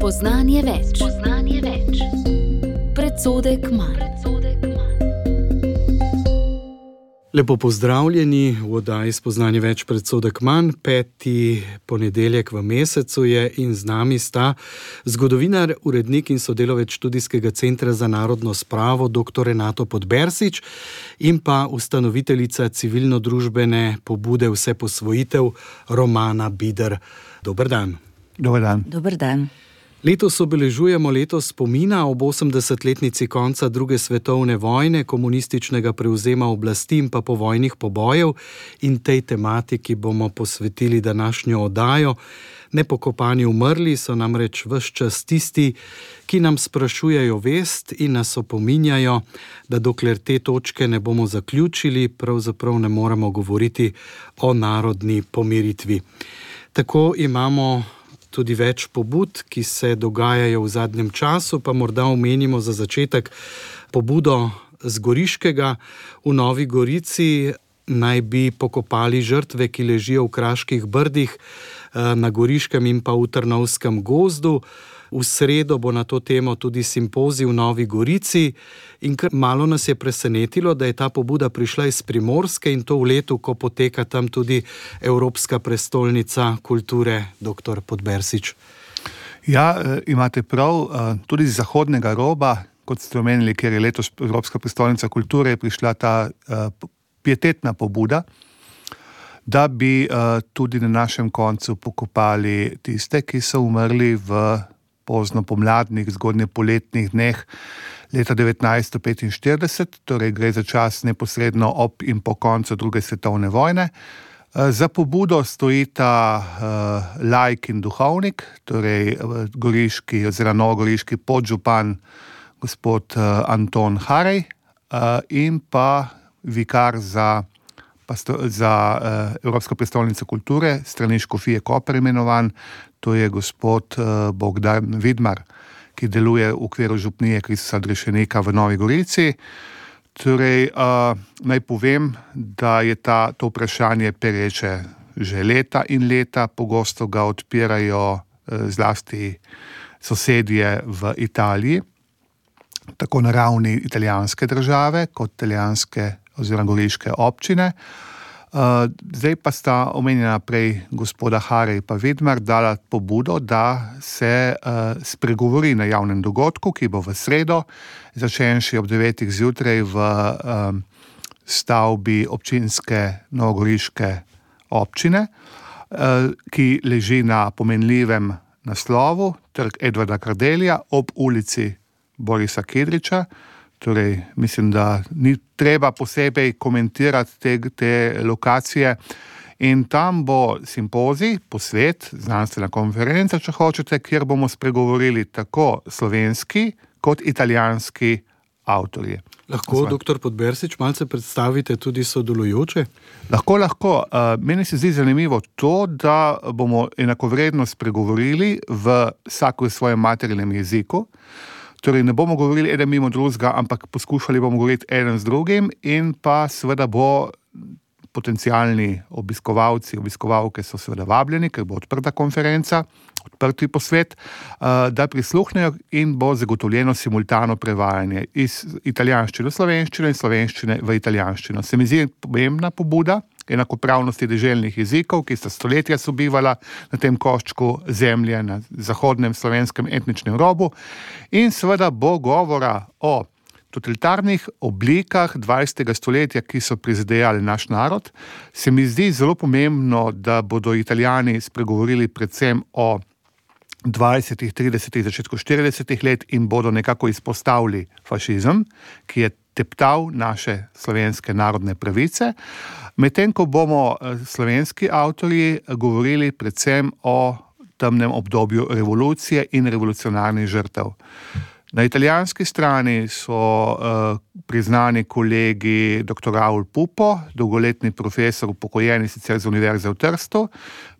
Spoznanje več. Predsodek manj. Lepo pozdravljeni v oddaji Spoznanje več, predsodek manj. 5. ponedeljek v mesecu je in z nami sta zgodovinar, urednik in sodelavec Študijskega centra za narodno spravo dr. Renato Podbersič in pa ustanoviteljica civilno-družbene pobude Vseposvojitev Romana Bider. Dober dan. Dober dan. Dober dan. Letos obeležujemo leto spomina ob 80-letnici konca druge svetovne vojne, komunističnega prevzema oblasti in pa povojnih pobojev, in tej tematiki bomo posvetili današnjo oddajo. Nepokopani umrli so namreč ves čas tisti, ki nam sprašujejo vest in nas opominjajo, da dokler te točke ne bomo zaključili, pravzaprav ne moremo govoriti o narodni pomiritvi. Tako imamo tudi več pobud, ki se dogajajo v zadnjem času, pa morda omenimo za začetek pobudo z Goriškega. V Novi Gorici naj bi pokopali žrtve, ki ležijo v Kraških brdih, na Goriškem in pa v Trnovskem gozdu. V sredo bo na to temo tudi simpozij v Novi Gorici in kar malo nas je presenetilo, da je ta pobuda prišla iz Primorske in to v letu, ko poteka tam tudi Evropska prestolnica kulture. Dr. Podbersič. Ja, imate prav, tudi z zahodnega roba, kot ste omenili, kjer je letos Evropska prestolnica kulture, je prišla ta pietetna pobuda, da bi tudi na našem koncu pokopali tiste, ki so umrli v pozno pomladnih, zgodnje poletnih dneh leta 1945, torej gre za čas neposredno ob in po koncu druge svetovne vojne. Za pobudo stojita laik in duhovnik, torej goriški oziroma novogoriški podžupan gospod Anton Harej in pa vikar za Evropsko prestolnico kulture, strani škofije Koper imenovan, to je gospod Bogdan Vidmar, ki deluje v okviru župnije Kristusa Odrešenika v Novi Gorici. Torej, naj povem, da je to vprašanje pereče že leta in leta, pogosto ga odpirajo zlasti sosedje v Italiji, tako na ravni italijanske države kot italijanske oziroma goriške občine. Zdaj pa sta omenjena prej gospoda Harej pa Vidmar dala pobudo, da se spregovori na javnem dogodku, ki bo v sredo, začenši ob 9. zjutraj v stavbi občinske novogoriške občine, ki leži na pomenljivem naslovu Trg Edvarda Kardelja ob ulici Borisa Kidriča. Torej, mislim, da ni treba posebej komentirati te lokacije. In tam bo simpozij, posvet, znanstvena konferenca, če hočete, kjer bomo spregovorili tako slovenski kot italijanski avtorji. Lahko, dr. Podbersič, malce predstavite tudi sodelujoče? Lahko. Meni se zdi zanimivo to, da bomo enakovredno spregovorili vsako v svojem materinem jeziku. Torej, ne bomo govorili eden mimo drugega, ampak poskušali bomo govoriti eden z drugim in pa seveda bo potencialni obiskovalci, obiskovalke so seveda vabljeni, ker bo odprta konferenca, odprti posvet, da prisluhnejo in bo zagotovljeno simultano prevajanje iz italijanščine v slovenščino in slovenščine v italijanščino. Se mi zdi pomembna pobuda enakopravnosti deželnih jezikov, ki sta stoletja sobivala na tem koščku zemlje, na zahodnem slovenskem etničnem robu, in seveda bo govora o totalitarnih oblikah 20. stoletja, ki so prizadejali naš narod. Se mi zdi zelo pomembno, da bodo Italijani spregovorili predvsem o 20., 30., začetku 40. let in bodo nekako izpostavili fašizem, ki je teptal naše slovenske narodne pravice, medtem ko bomo slovenski avtorji govorili predvsem o temnem obdobju revolucije in revolucionarnih žrtev. Na italijanski strani so priznani kolegi dr. Raul Pupo, dolgoletni profesor, upokojeni sicer z Univerze v Trstu,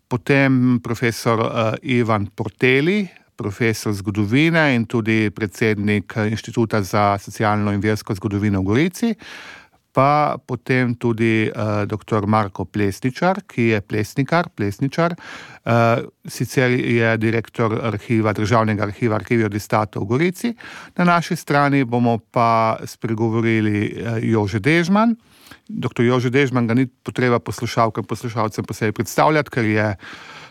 potem profesor Ivan Porteli, profesor zgodovine in tudi predsednik Inštituta za socialno in versko zgodovino v Gorici, pa potem tudi dr. Marko Plesničar, ki je plesničar. Sicer je direktor Državnega arhiva Archivio di Stato v Gorici. Na naši strani bomo pa spregovorili Jože Dežman. Dr. Jože Dežman ga ni potreba poslušalcem posebej predstavljati, ker je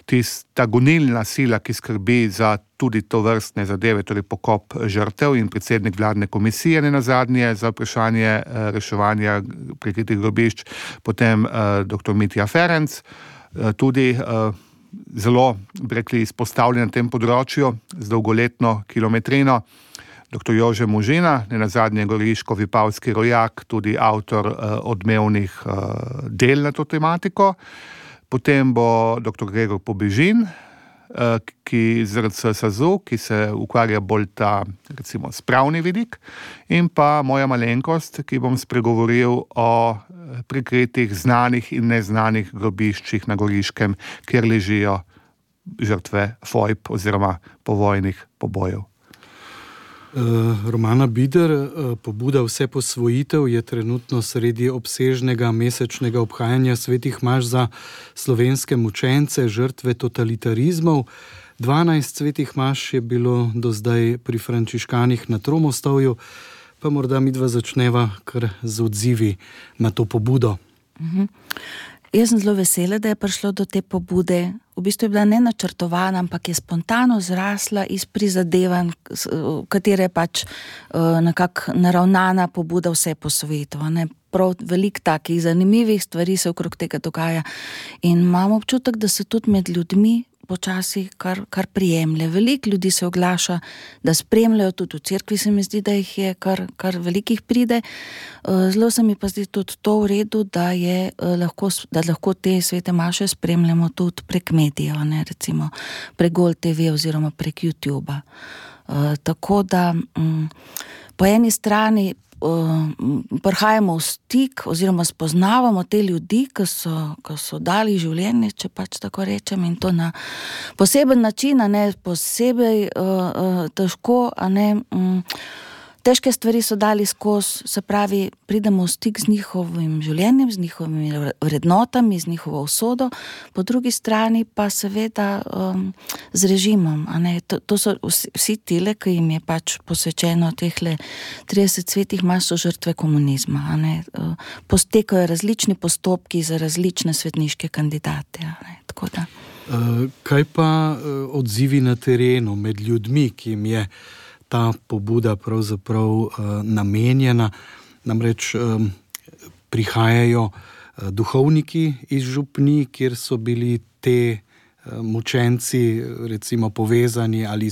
tista gonilna sila, ki skrbi za tudi to vrstne zadeve, torej pokop žrtev in predsednik vladne komisije nenazadnje za vprašanje reševanja prikritih grobišč, potem dr. Mitja Ferenc, tudi zelo, bi rekli, izpostavljen na tem področju z dolgoletno kilometrino, dr. Jože Možina, nenazadnje goriško-vipavski rojak, tudi avtor odmevnih del na to tematiko. Potem bo dr. Gregor Pobežin, ki ZRC SAZU, ki se ukvarja bolj ta, recimo, spravni vidik, in pa moja malenkost, ki bom spregovoril o prikritih znanih in neznanih grobiščih na Goriškem, kjer ležijo žrtve fojb oziroma povojnih pobojev. Romana Bider, pobuda Vseposvojitev je trenutno sredi obsežnega mesečnega obhajanja svetih maš za slovenske mučence, žrtve totalitarizmov. 12 svetih maš je bilo do zdaj pri frančiškanih na Tromostovju, pa morda midva začneva kar z odzivi na to pobudo. Jaz sem zelo vesela, da je prišlo do te pobude. V bistvu je bila nenačrtovana, ampak je spontano zrasla iz prizadevanj, katere je pač nekako naravnana pobuda Vseposvojitev. Prav veliko takih zanimivih stvari se okrog tega dogaja. In imam občutek, da se tudi med ljudmi počasi kar prijemlje. Veliko ljudi se oglaša, da spremljajo, tudi v cerkvi se mi zdi, da jih je kar velikih pride. Zelo se mi pa zdi tudi to v redu, da lahko te svete maše spremljamo tudi prek medijev, recimo prek Gol TV oziroma prek YouTubea. Tako da po eni strani prihajamo v stik oziroma spoznavamo te ljudi, ki so dali življenje, če pač tako rečem, in to na poseben način, posebej težko, težke stvari so dali skozi, se pravi, pridemo v stik z njihovim življenjem, z njihovimi vrednotami, z njihovo usodo, po drugi strani pa seveda z režimom. To so vsi tile, ki jim je pač posvečeno tehle 30 svetih maš, so žrtve komunizma. Postekajo različni postopki za različne svetniške kandidate. Tako da. Kaj pa odzivi na terenu med ljudmi, ki jim je ta pobuda pravzaprav namenjena? Namreč prihajajo duhovniki iz župnij, kjer so bili te mučenci recimo povezani ali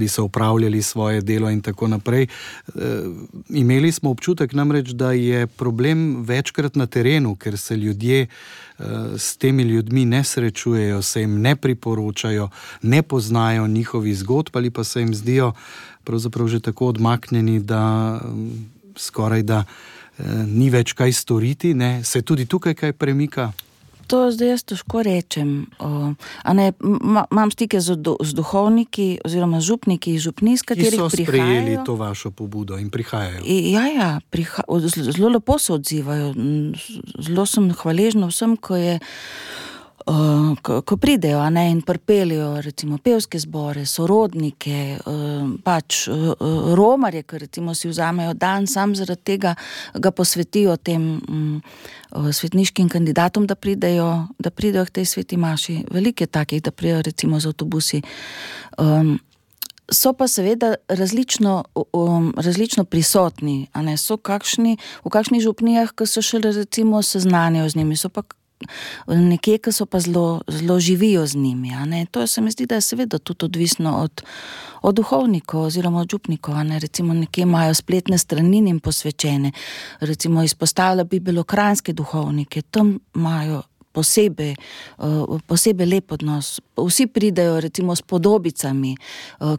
so opravljali svoje delo in tako naprej. Imeli smo občutek namreč, da je problem večkrat na terenu, ker se ljudje s temi ljudmi ne srečujejo, se jim ne priporočajo, ne poznajo njihovih zgodb ali pa se jim zdijo pravzaprav že tako odmaknjeni, da skoraj da ni več kaj storiti, ne? Se tudi tukaj kaj premika? To zdaj jaz težko rečem. Imam stike z duhovniki oziroma župniki iz župnij, s katerih prihajajo. Ki so sprejeli to vašo pobudo in prihajajo. Zelo lepo se odzivajo. Zelo sem hvaležna vsem, ko pridejo in pripeljejo recimo pevske zbore, sorodnike, pač romarje, ki recimo si vzamejo dan, sam zaradi tega ga posvetijo tem svetniškim kandidatom, da pridejo k tej sveti maši. Veliko je takih, da pridejo recimo z avtobusi. So pa seveda različno prisotni, so v kakšnih župnijah, ki so šele recimo seznanjajo z njimi, so pa nekje, ki so pa zelo živijo z njimi. To se mi zdi, da je seveda tudi odvisno od duhovnikov oziroma od župnikov. Recimo nekje imajo spletne strani njim posvečene. Recimo izpostavlja bi belokranjske duhovnike, tam imajo posebej lep odnos. Vsi pridejo recimo s podobicami,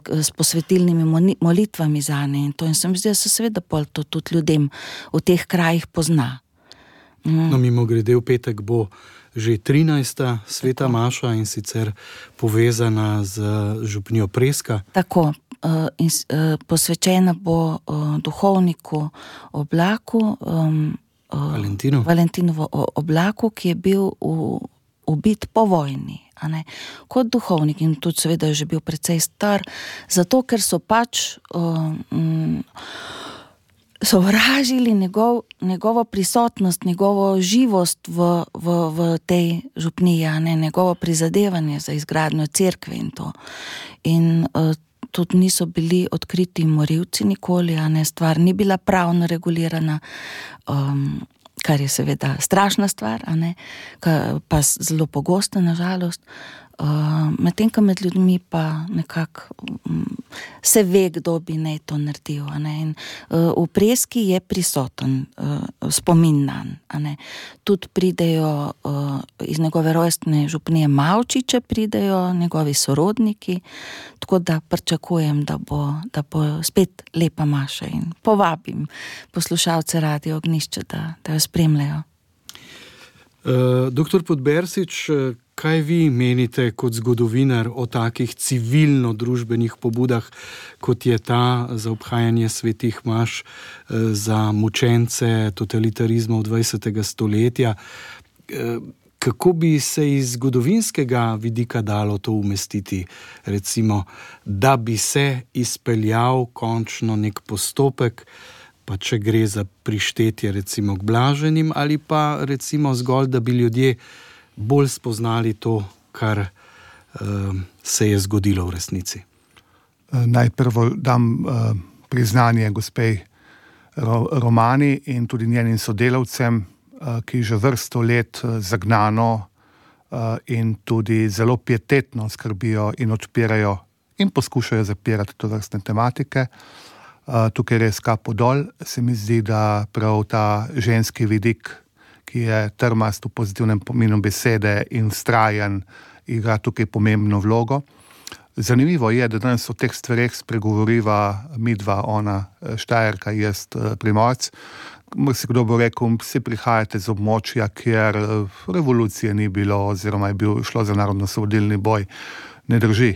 s posvetilnimi molitvami zanje in se mi zdi, da se seveda pol to tudi ljudem v teh krajih pozna. No, mimogrede v petek bo že 13. sveta maša in sicer povezana z župnijo Preska. Tako, posvečena bo duhovniku Oblaku, Valentinovo Oblaku, ki je bil ubit po vojni, a ne, kot duhovnik in tudi seveda je že bil precej star, zato ker so pač sovražili njegovo prisotnost, njegovo živost v tej župniji, a ne, njegovo prizadevanje za izgradnjo cerkve in to. In tudi niso bili odkriti morilci nikoli, a ne, stvar ni bila pravno regulirana, kar je seveda strašna stvar, a ne, pa zelo pogosta nažalost. Medtem ko med ljudmi pa nekako se ve, kdo bi naj to naredil, a ne. In v Preski je prisoten spomin nanj, a ne. Tudi pridejo iz njegove rojstne župnije Mavčiče, pridejo njegovi sorodniki, tako da pričakujem, da bo spet lepa maša in povabim poslušalce Radio Ognjišče, da jo spremljajo. Doktor Podbersič, kaj vi menite kot zgodovinar o takih civilno-družbenih pobudah, kot je ta za obhajanje svetih maš za mučence totalitarizmov 20. stoletja? Kako bi se iz zgodovinskega vidika dalo to umestiti, recimo, da bi se izpeljal končno nek postopek, pa če gre za prištetje recimo k blaženim, ali pa recimo zgolj, da bi ljudje bolj spoznali to, kar se je zgodilo v resnici? Najprvo dam priznanje gospej Romani in tudi njenim sodelavcem, ki že vrsto let zagnano in tudi zelo pietetno skrbijo in odpirajo in poskušajo zapirati tovrstne tematike. Tukaj res kapo dol, se mi zdi, da prav ta ženski vidik, ki je trmast v pozitivnem pomenu besede in vztrajan, igra tukaj pomembno vlogo. Zanimivo je, da danes o teh stvareh spregovoriva midva, ona Štajerka, jaz Primorc. Marsikdo bo rekel, vsi prihajate z območja, kjer revolucije ni bilo oziroma je šlo za narodnoosvobodilni boj. Ne drži.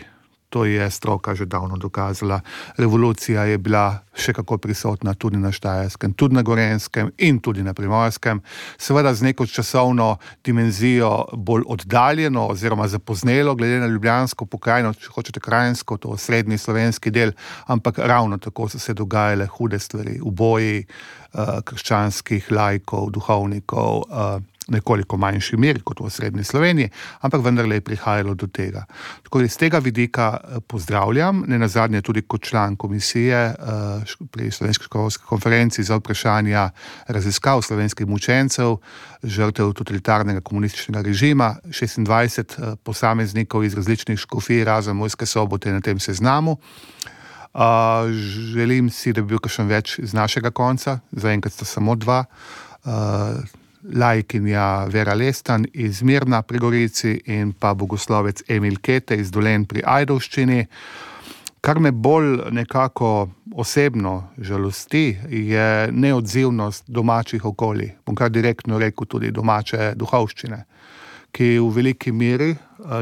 To je stroka že davno dokazala. Revolucija je bila še kako prisotna tudi na Štajerskem, tudi na Gorenjskem in tudi na Primorskem. Seveda z neko časovno dimenzijo bolj oddaljeno oziroma zapoznelo, glede na ljubljansko pokrajino, če hočete krajinsko, to srednji slovenski del, ampak ravno tako so se dogajale hude stvari, uboji krščanskih laikov, duhovnikov, nekoliko manjši meri kot v srednji Sloveniji, ampak vendarle je prihajalo do tega. Tako da iz tega vidika pozdravljam, nenazadnje tudi kot član komisije pri Slovenski školski konferenci za vprašanja raziskav slovenskih mučencev, žrtev totalitarnega komunističnega režima, 26 posameznikov iz različnih škofij, razen Murske Sobote na tem seznamu. Želim si, da bi bil kakšen več iz našega konca, zaenkrat sta samo dva, laikinja Vera Lestan iz Mirna pri Gorici in pa bogoslovec Emil Kete iz Dolenj pri Ajdovščini. Kar me bolj nekako osebno žalosti, je neodzivnost domačih okolij, bom kar direktno rekel tudi domače duhovščine, ki v veliki meri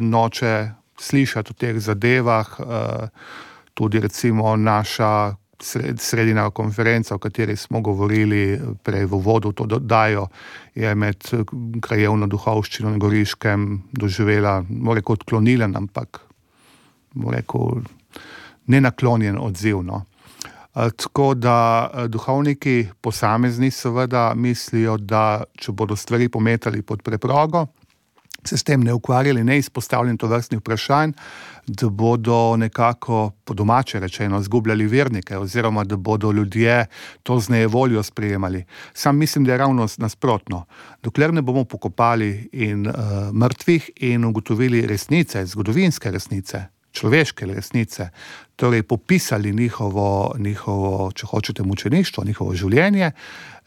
noče slišati o teh zadevah, tudi recimo naša sredina konferenca, o kateri smo govorili prej v uvodu, to dodajo, je med krajevno duhovščino na Goriškem doživela, moram rekel, odklonilen, ampak moram rekel, nenaklonjen odziv, no. Tako da duhovniki posamezni seveda mislijo, da če bodo stvari pometali pod preprogo, se s tem ne ukvarjali, ne izpostavljeni tovrstnih vprašanj, da bodo nekako po domače rečeno zgubljali vernike oziroma da bodo ljudje to z nejevoljo sprejemali. Sam mislim, da je ravno nasprotno. Dokler ne bomo pokopali in mrtvih in ugotovili resnice, zgodovinske resnice, človeške resnice, torej popisali njihovo, če hočete, mučeništvo, njihovo življenje,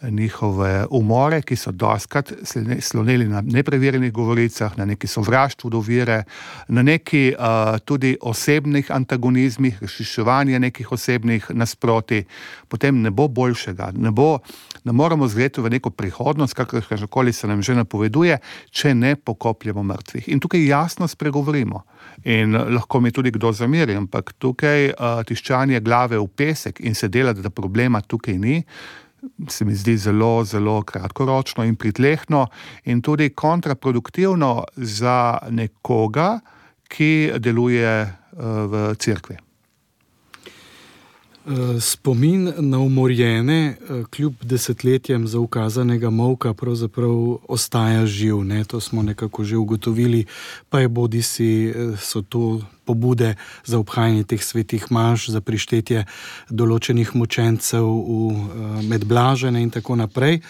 njihove umore, ki so dostkrat sloneli na nepreverjenih govoricah, na neki sovraštvu do vere, na neki tudi osebnih antagonizmih, razšiševanje nekih osebnih nasproti, potem ne bo boljšega, ne moramo zgledati v neko prihodnost, kakorkoli se nam že napoveduje, če ne pokopljemo mrtvih. In tukaj jasno spregovorimo. In lahko mi tudi kdo zameri, ampak tukaj tiščanje glave v pesek in se delati, da problema tukaj ni, se mi zdi zelo, zelo kratkoročno in pritlehno in tudi kontraproduktivno za nekoga, ki deluje v cerkvi. Spomin na umorjene, kljub desetletjem zaukazanega molka, pravzaprav ostaja živ. Ne? To smo nekako že ugotovili, pa je bodisi so to pobude za obhajanje teh svetih maš, za prištetje določenih mučencev med blažene in tako naprej.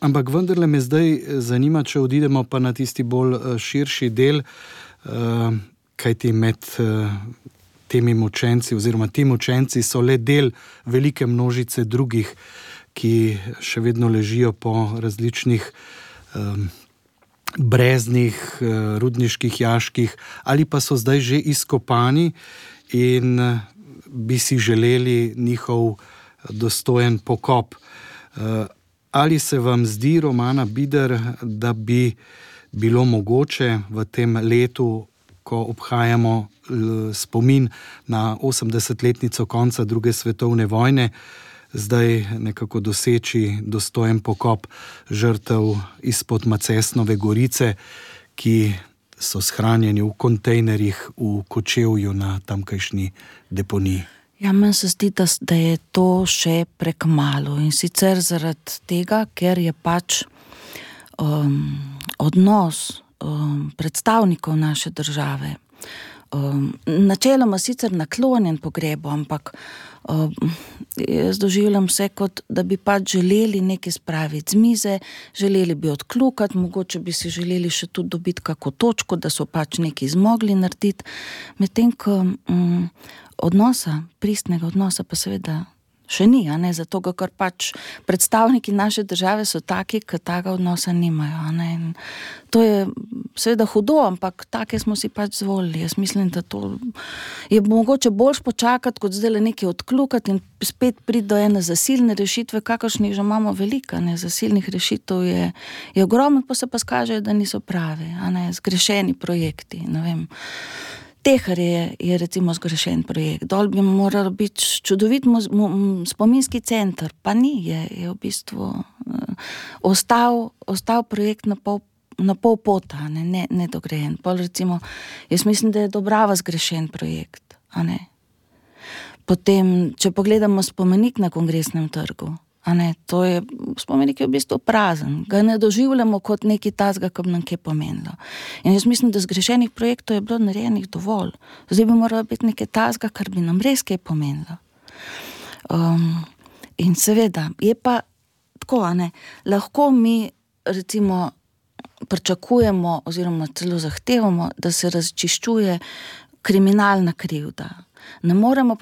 Ampak vendarle me zdaj zanima, če odidemo pa na tisti bolj širši del, kajti med temi mučenci oziroma ti mučenci so le del velike množice drugih, ki še vedno ležijo po različnih breznih, rudniških jaških ali pa so zdaj že izkopani in bi si želeli njihov dostojen pokop. Ali se vam zdi, Romana Bider, da bi bilo mogoče v tem letu, ko obhajamo spomin na 80-letnico konca druge svetovne vojne, zdaj nekako doseči dostojen pokop žrtev izpod Macesnove gorice, ki so shranjeni v kontejnerjih v Kočevju na tamkajšnji deponiji? Ja, meni se zdi, da je to še prekmalu in sicer zaradi tega, ker je pač odnos predstavnikov naše države načeloma sicer naklonjen pogrebu, ampak jaz doživljam vse kot, da bi pač želeli nekaj spraviti z mize, želeli bi odkljukati, mogoče bi si želeli še tudi dobiti kako točko, da so pač nekaj zmogli narediti, medtem ko pristnega odnosa pa seveda še ni, a ne, zato ker pač predstavniki naše države so taki, ki takega odnosa nimajo, a ne, in to je seveda hudo, ampak take smo si pač zvolili. Jaz mislim, da to je mogoče boljš počakati, kot zdaj nekaj odkljukati in spet priti do ene zasilne rešitve, kakršnih že imamo veliko, ne, zasilnih rešitev je ogromno, pa se pa skažejo, da niso pravi, a ne, zgrešeni projekti, ne vem. Tehar je recimo zgrešen projekt. Dol bi moral biti čudovit spominski center, pa ni, je v bistvu ostal projekt na pol pota, ne dograjen. Pol recimo, jaz mislim, da je Dobrava zgrešen projekt, a ne. Potem, če pogledamo spomenik na Kongresnem trgu, a ne, to je, spomenik je v bistvu prazen, ga ne doživljamo kot nekaj tazga, ki bi nam kaj pomenilo. In jaz mislim, da zgrešenih projektov je bilo narejenih dovolj. Zdaj bi moralo biti nekaj tazga, kar bi nam res kaj pomenilo. In seveda, je pa tako, a ne, lahko mi recimo pričakujemo oziroma celo zahtevamo, da se razčiščuje kriminalna krivda. Ne moremo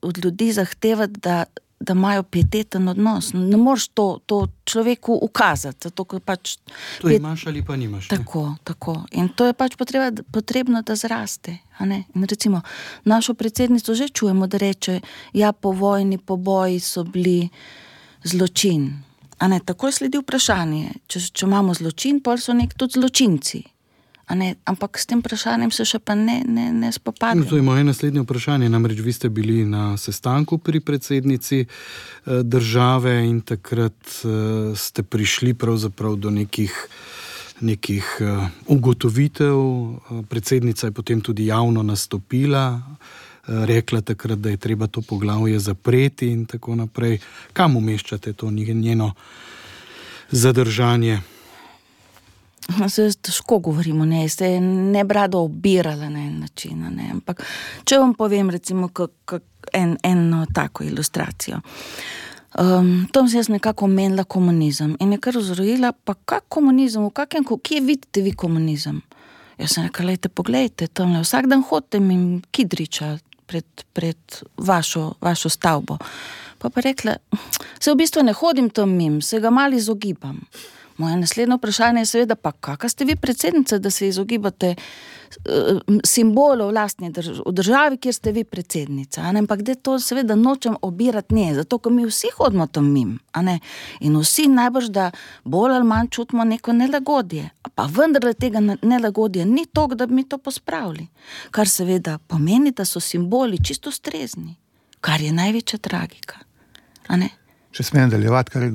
od ljudi zahtevati, da imajo pieteten odnos. Ne moreš to človeku ukazati, zato ker pač... To imaš ali pa nimaš. Tako. In to je pač potrebno, da zraste. A ne? In recimo, našo predsednico že čujemo, da reče, ja, po vojni, po boji so bili zločin. A ne? Tako je sledi vprašanje. Če imamo zločin, pol so nek tudi zločinci. A ne, ampak s tem vprašanjem se še pa ne spopadamo. To je moje naslednje vprašanje, namreč vi ste bili na sestanku pri predsednici države in takrat ste prišli pravzaprav do nekih ugotovitev. Predsednica je potem tudi javno nastopila, rekla takrat, da je treba to poglavje zapreti in tako naprej. Kam umeščate to njeno zadržanje? Se težko govorimo, se je ne brado obirala na en način, ne, ampak če vam povem recimo eno tako ilustracijo. Tam se jaz nekako omenila komunizem in je kar vzrojila, pa kak komunizem, kje vidite vi komunizem? Jaz sem rekla, poglejte, tamle vsak dan hodite mi Kidriča pred vašo stavbo. Pa rekla, se v bistvu ne hodim tam mim, se ga malo izogibam. Moje naslednje vprašanje je seveda, pa kakva ste vi predsednica, da se izogibate simbolov v državi, kjer ste vi predsednica, a ne? Ampak da to seveda nočem obirati nje, zato ko mi vsi hodimo tam mim, a ne? In vsi najbrž, da bolj ali manj čutimo neko nelagodje, pa vendar tega nelagodje ni toliko, da bi mi to pospravili, kar seveda pomeni, da so simboli čisto ustrezni, kar je največja tragika, a ne? Če smem nadaljevati, kar je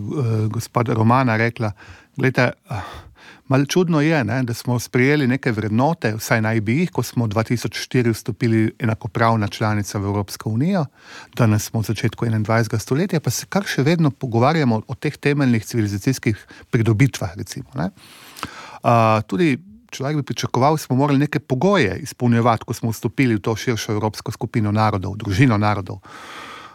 gospod Romana rekla, glejte, malo čudno je, ne, da smo sprejeli neke vrednote, vsaj naj bi jih, ko smo 2004 vstopili enakopravna članica v Evropsko unijo, danes smo v začetku 21. stoletja, pa se kar še vedno pogovarjamo o teh temeljnih civilizacijskih pridobitvah, recimo. Ne. Tudi človek bi pričakoval, smo morali neke pogoje izpolnjevati, ko smo vstopili v to širšo evropsko skupino narodov, družino narodov.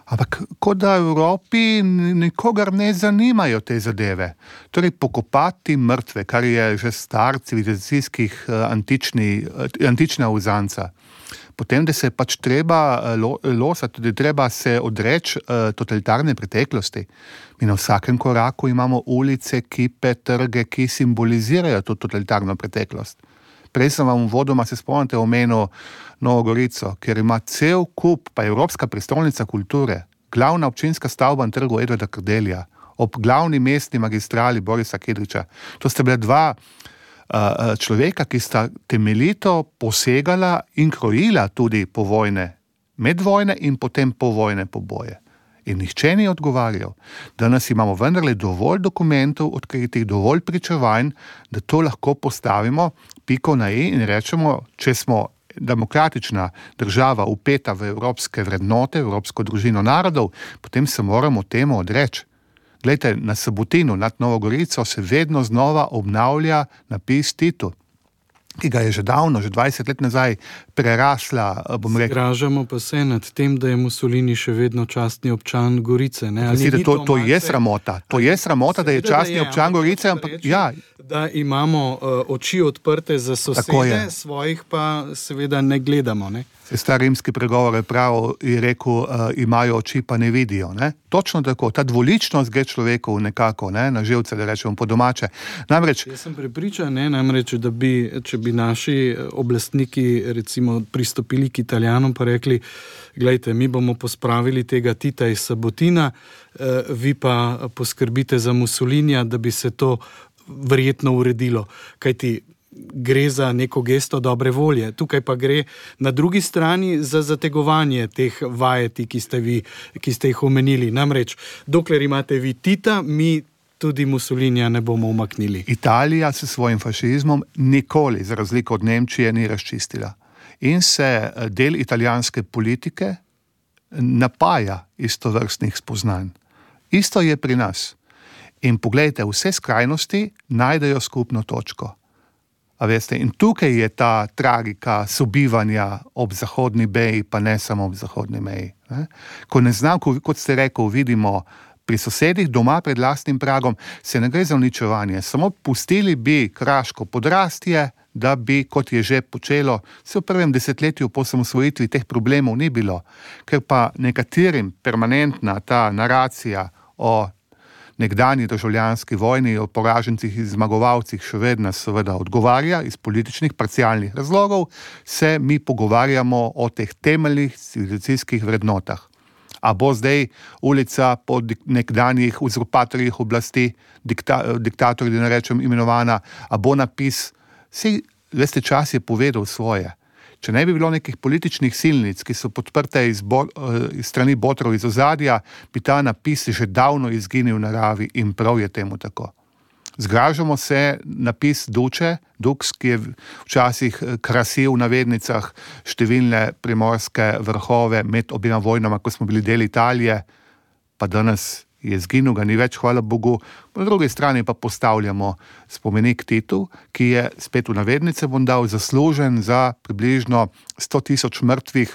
Ampak kot da v Evropi nikogar ne zanimajo te zadeve. Torej pokopati mrtve, kar je že star civilizacijskih antična uzanca. Potem, da se pač treba losati, da treba se odreči totalitarne preteklosti. Mi na vsakem koraku imamo ulice, kipe, trge, ki simbolizirajo to totalitarno preteklost. Prej sem vam vodoma, se spomnite, omenil Novo Gorico, kjer ima cel kup, pa Evropska prestolnica kulture, glavna občinska stavba na trgu Edvarda Kardelja, ob glavni mestni magistrali Borisa Kidriča. To sta bila dva človeka, ki sta temeljito posegala in krojila tudi povojne, medvojne in potem povojne poboje. In nihče ni odgovarjal. Danes imamo vendarle dovolj dokumentov, odkritih dovolj pričevanj, da to lahko postavimo piko na i in rečemo, če smo demokratična država upeta v evropske vrednote, evropsko družino narodov, potem se moramo temu odreči. Glejte, na Sabotinu nad Novo Gorico se vedno znova obnavlja napis Titu, ki ga je že davno, že 20 let nazaj prerasla, bom rekel. Zgražamo pa se nad tem, da je Mussolini še vedno častni občan Gorice. Ne? Mislite, to je sramota. To je sramota, da je častni občan Gorice, ampak ja. Da imamo oči odprte za sosede, svojih pa seveda ne gledamo. Ne? Star rimski pregovor je rekel, imajo oči, pa ne vidijo. Ne? Točno tako, ta dvoličnost gre človeku nekako, ne? Na živce, da rečemo po domače. Namreč, jaz sem prepričan, da bi, če bi naši oblastniki recimo pristopili k Italijanom pa rekli, glejte, mi bomo pospravili tega Tita iz Sabotina, vi pa poskrbite za Mussolinija, da bi se to verjetno uredilo. Kajti gre za neko gesto dobre volje. Tukaj pa gre na drugi strani za zategovanje teh vajeti, ki ste jih omenili. Namreč, dokler imate vi Tita, mi tudi Mussolinija ne bomo umaknili. Italija s svojim fašizmom nikoli, za razliko od Nemčije, ni razčistila. In se del italijanske politike napaja istovrstnih spoznanj. Isto je pri nas. In poglejte, vse skrajnosti najdejo skupno točko. A veste, in tukaj je ta tragika sobivanja ob zahodni meji, pa ne samo ob zahodni meji. Ne? Ko ne znam, kot ste rekel, vidimo pri sosedih doma pred lastnim pragom, se ne gre za uničevanje. Samo pustili bi Kraško podrastje, da bi, kot je že počelo, se v prvem desetletju po osamosvojitvi teh problemov ni bilo. Ker pa nekaterim permanentna ta naracija o nekdanji državljanski vojni, o poražencih in zmagovalcih še vedno seveda odgovarja iz političnih parcialnih razlogov, se mi pogovarjamo o teh temeljnih civilizacijskih vrednotah. A bo zdaj ulica po nekdanjih uzurpatorjih oblasti, diktatorji, da ne rečem imenovana, a bo napis, vsi, veste, čas je povedal svoje. Če ne bi bilo nekih političnih silnic, ki so podprte iz strani botrov iz ozadja, bi ta napis že davno izginil v naravi in prav je temu tako. Zgražamo se napis Dux, ki je včasih krasil v navednicah številne primorske vrhove med obima vojnama, ko smo bili del Italije, pa danes je zginil, ga ni več, hvala Bogu. Po drugi strani pa postavljamo spomenik Titu, ki je, spet v navednice bom dal, zaslužen za približno 100.000 mrtvih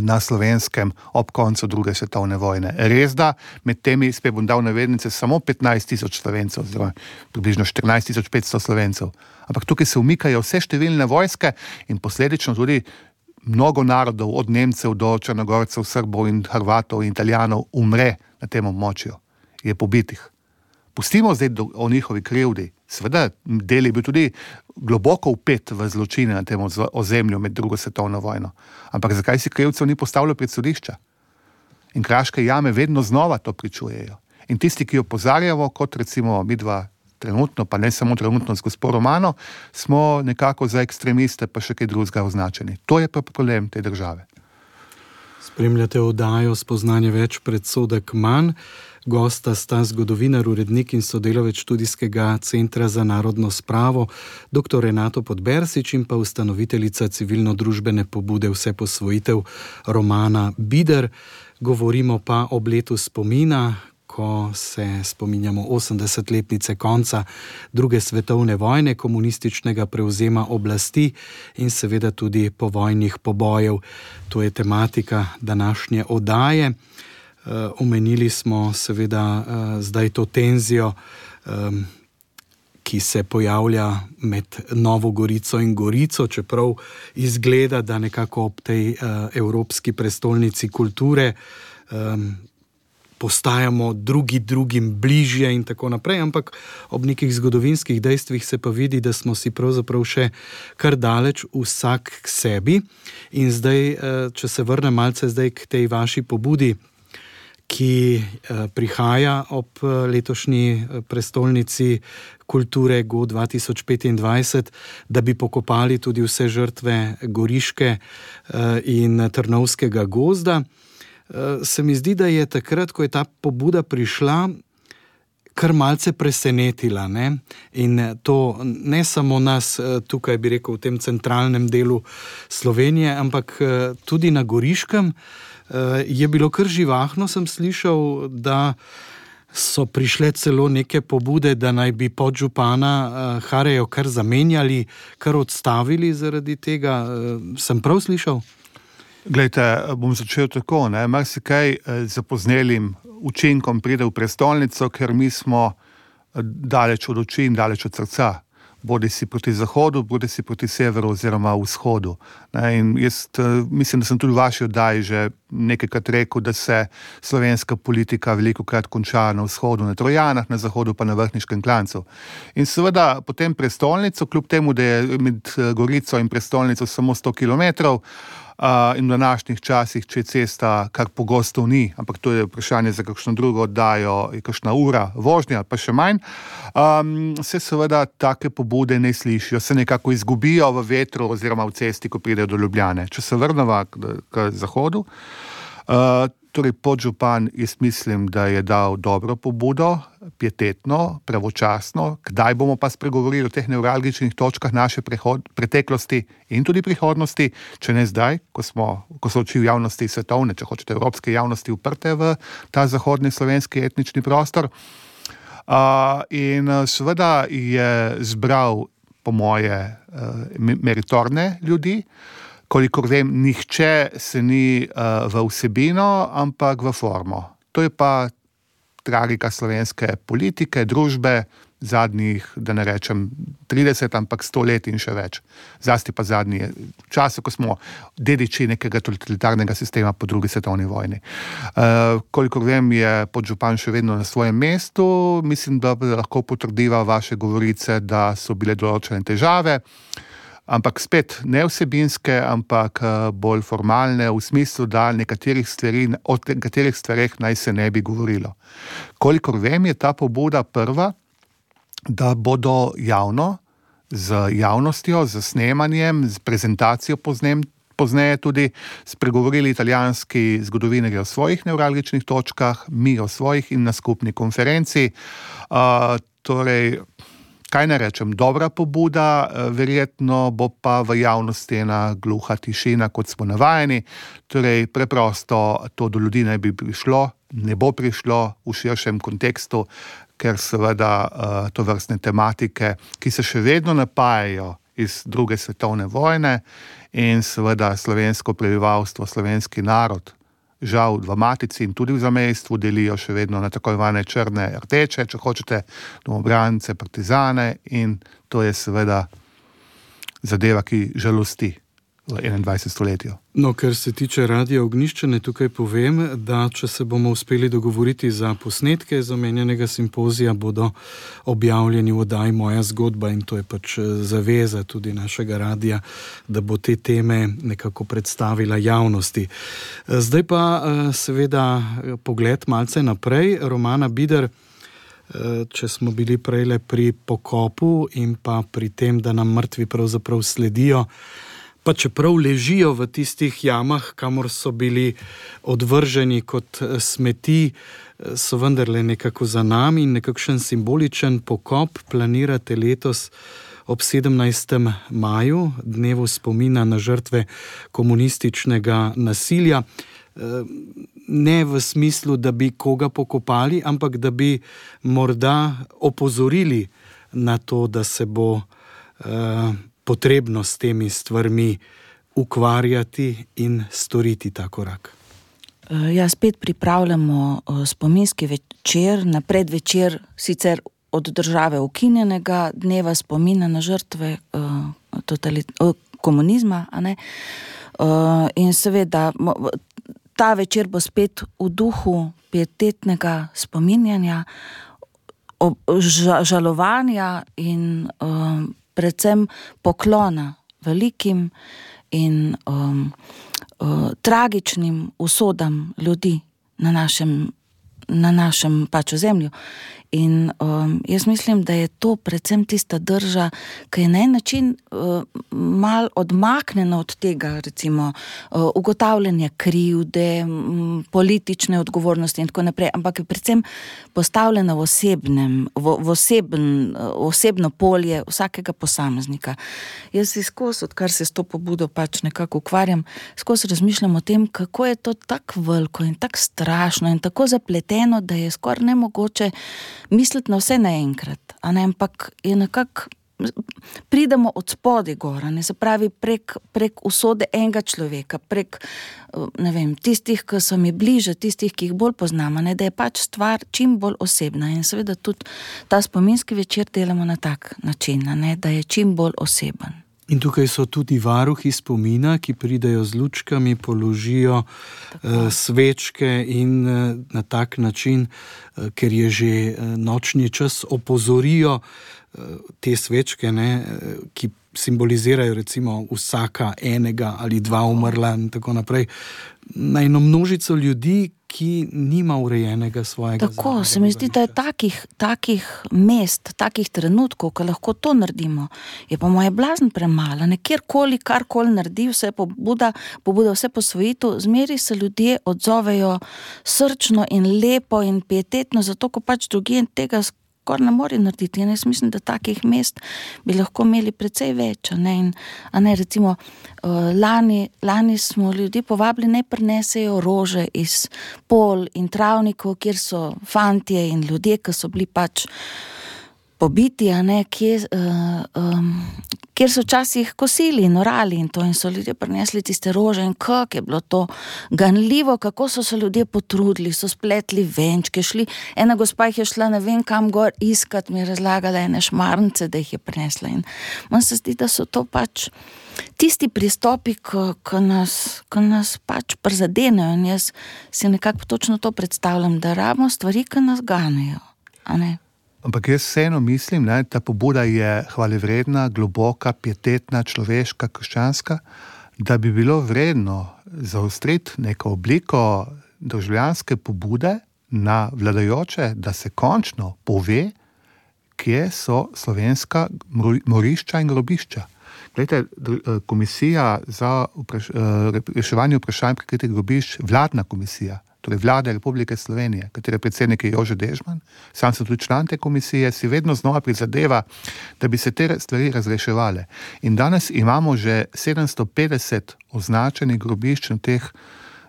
na Slovenskem ob koncu druge svetovne vojne. Res da, med temi, spet bom dal navednice, samo 15.000 Slovencev, oziroma približno 14.500 Slovencev. Ampak tukaj se umikajo vse številne vojske in posledično tudi mnogo narodov, od Nemcev do Črnogorcev, Srbov in Hrvatov in Italijanov umre na tem območju, je pobitih. Pustimo zdaj o njihovi krivdi. Seveda, del je bil tudi globoko vpet v zločine na tem ozemlju med drugo svetovno vojno. Ampak zakaj si krivcev ni postavilo pred sodišča? In kraške jame vedno znova to pričujejo. In tisti, ki opozarjamo, kot recimo midva trenutno, pa ne samo trenutno z gospod Romano, smo nekako za ekstremiste pa še kaj drugega označeni. To je pa problem te države. Spremljate oddajo Spoznanje več, predsodek manj. Gosta sta zgodovinar, urednik in sodelavec študijskega centra za narodno spravo, dr. Renato Podbersič in pa ustanoviteljica civilno-družbene pobude Vseposvojitev Romana Bider. Govorimo pa ob letu spomina, ko se spominjamo 80-letnice konca druge svetovne vojne, komunističnega prevzema oblasti in seveda tudi povojnih pobojev. To je tematika današnje oddaje. Omenili smo seveda zdaj to tenzijo, ki se pojavlja med Novo Gorico in Gorico, čeprav izgleda, da nekako ob tej evropski prestolnici kulture postajamo drugim bližje in tako naprej, ampak ob nekih zgodovinskih dejstvih se pa vidi, da smo si pravzaprav še kar daleč vsak k sebi. In zdaj, če se vrnem malce zdaj k tej vaši pobudi, ki prihaja ob letošnji prestolnici kulture Go 2025, da bi pokopali tudi vse žrtve Goriške in Trnovskega gozda. Se mi zdi, da je takrat, ko je ta pobuda prišla, kar malce presenetila, ne? In to ne samo nas tukaj, bi rekel, v tem centralnem delu Slovenije, ampak tudi na Goriškem je bilo kar živahno, sem slišal, da so prišle celo neke pobude, da naj bi podžupana Harejo kar zamenjali, kar odstavili zaradi tega. Sem prav slišal? Glejte, bom začel tako, ne, marsikaj zapoznelim učinkom pride v prestolnico, ker mi smo daleč od oči in daleč od srca. Bodi si proti zahodu, bodi si proti severu oziroma vzhodu. In jaz mislim, da sem tudi v vaši oddaji že nekajkrat rekel, da se slovenska politika velikokrat konča na vzhodu, na Trojanah, na zahodu pa na Vrhniškem klancu. In seveda potem prestolnico, kljub temu, da je med Gorico in prestolnico samo 100 kilometrov, in v današnjih časih, če je cesta, kar pogosto ni, ampak to je vprašanje za kakšno drugo oddajo, je kakšna ura vožnja, pa še manj, se seveda take pobude ne slišijo, se nekako izgubijo v vetru oziroma v cesti, ko pridejo do Ljubljane. Če se vrneva k zahodu, torej podžupan, jaz mislim, da je dal dobro pobudo, pietetno, pravočasno. Kdaj bomo pa spregovorili o teh nevralgičnih točkah naše preteklosti in tudi prihodnosti, če ne zdaj, ko so oči v javnosti svetovne, če hočete evropske javnosti uprte v ta zahodni slovenski etnični prostor. In seveda je zbral, po moje, meritorne ljudi. Kolikor vem, nihče se ni v vsebino, ampak v formo. To je pa tragika slovenske politike, družbe zadnjih, da ne rečem 30, ampak 100 let in še več. Zlasti pa zadnji čas, ko smo dediči nekega totalitarnega sistema po drugi svetovni vojni. Kolikor vem, je podžupan še vedno na svojem mestu. Mislim, da lahko potrdiva vaše govorice, da so bile določene težave. Ampak spet ne vsebinske, ampak bolj formalne, v smislu, da o nekaterih stvareh naj se ne bi govorilo. Kolikor vem, je ta pobuda prva, da bodo javno, z javnostjo, z snemanjem, z prezentacijo pozneje tudi spregovorili italijanski zgodovinarji o svojih nevralgičnih točkah, mi o svojih in na skupni konferenci. Torej, kaj ne rečem, dobra pobuda, verjetno bo pa v javnosti ena gluha tišina, kot smo navajeni. Torej, preprosto to do ljudi ne bi prišlo, ne bo prišlo v širšem kontekstu, ker seveda tovrstne tematike, ki se še vedno napajajo iz druge svetovne vojne in seveda slovensko prebivalstvo, slovenski narod, žal v matici in tudi v zamejstvu delijo še vedno na tako imenovane črne rdeče, če hočete, domobrance, partizane, in to je seveda zadeva, ki žalosti. v 21. stoletju. No, ker se tiče Radia Ognjišče, ne tukaj povem, da če se bomo uspeli dogovoriti za posnetke iz omenjenega simpozija, bodo objavljeni v oddaji Moja zgodba in to je pač zaveza tudi našega radija, da bo te teme nekako predstavila javnosti. Zdaj pa seveda pogled malce naprej. Romana Bider, če smo bili prejle pri pokopu in pa pri tem, da nam mrtvi pravzaprav sledijo, pa čeprav ležijo v tistih jamah, kamor so bili odvrženi kot smeti, so vendarle nekako za nami in nekakšen simboličen pokop planirate letos ob 17. maju, dnevu spomina na žrtve komunističnega nasilja. Ne v smislu, da bi koga pokopali, ampak da bi morda opozorili na to, da se bo potrebno s temi stvarmi ukvarjati in storiti ta korak. Ja, spet pripravljamo spominski večer, na predvečer sicer od države ukinjenega dneva spomina na žrtve komunizma, a ne? In seveda ta večer bo spet v duhu pietetnega spominjanja, žalovanja in predvsem poklona velikim in tragičnim usodam ljudi na našem pač ozemlju. In jaz mislim, da je to predvsem tista drža, ki je na en način mal odmaknjena od tega, recimo ugotavljanje krivde, politične odgovornosti in tako naprej, ampak je predvsem postavljena v osebno polje vsakega posameznika. Jaz si skozi, odkar se s to pobudo pač nekako ukvarjam, skozi razmišljam o tem, kako je to tako veliko in tako strašno in tako zapleteno, da je skoraj nemogoče misliti na vse naenkrat, a ne, ampak je nekako, pridemo od spodaj gora, ne, se pravi prek usode enega človeka, prek, ne vem, tistih, ki so mi bliže, tistih, ki jih bolj poznamo, ne, da je pač stvar čim bolj osebna in seveda tudi ta spominski večer delamo na tak način, ne, da je čim bolj oseben. In tukaj so tudi varuhi spomina, ki pridejo z lučkami, položijo svečke in na tak način, ker je že nočni čas, opozorijo te svečke, ne, ki simbolizirajo recimo vsaka enega ali dva umrla in tako naprej, na eno množico ljudi, ki nima urejenega svojega tako, zadnjega. Se mi zdi, da je takih mest, takih trenutkov, ko lahko to naredimo, je pa moje blazno premalo. Kjerkoli, karkoli naredi, vse pobuda vse posvojitev, zmeri se ljudje odzovejo srčno in lepo in pietetno, zato ko pač drugje tega skoraj ne more narediti. In jaz mislim, da takih mest bi lahko imeli precej več. Recimo, lani smo ljudi povabili, naj prinesejo rože iz pol in travnikov, kjer so fantje in ljudje, ki so bili pač pobiti, kjer so včasih kosili in orali in to, in so ljudje prinesli tiste rože in kako je bilo to ganljivo, kako so se ljudje potrudili, so spletli venčke, ena gospa jih je šla ne vem kam gor iskat, mi je razlagala ene šmarnice, da jih je prinesla in meni se zdi, da so to pač tisti pristopi, ki nas pač prizadenejo in jaz si nekako točno to predstavljam, da rabimo stvari, ki nas ganejo, a ne? Ampak jaz vseeno mislim, ne, ta pobuda je hvalevredna, globoka, pietetna, človeška, krščanska, da bi bilo vredno zaostriti neko obliko državljanske pobude na vladajoče, da se končno pove, kje so slovenska morišča in grobišča. Glejte, komisija za reševanje vprašanj prikritih grobišč, vladna komisija, torej Vlade Republike Slovenije, katere predsednik je Jože Dežman, sam sem tudi član te komisije, si vedno znova prizadeva, da bi se te stvari razreševale. In danes imamo že 750 označenih grobišč na teh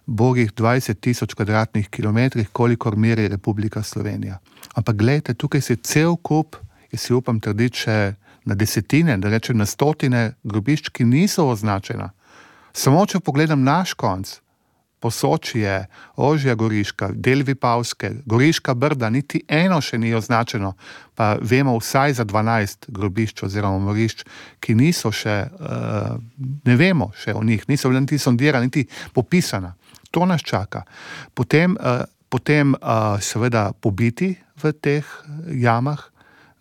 bogih 20,000 kvadratnih kilometrih, kolikor meri Republika Slovenija. Ampak glejte, tukaj se cel kup, jaz si upam trditi še na desetine, da rečem na stotine grobišč, ki niso označena. Samo če pogledam naš konc, Posočje, Ožja Goriška, del Vipavske, Goriška Brda, niti eno še ni označeno, pa vemo vsaj za 12 grobišč oziroma morišč, ki niso še, ne vemo še o njih, niso niti sondirani, niti popisana. To nas čaka. Potem seveda pobiti v teh jamah,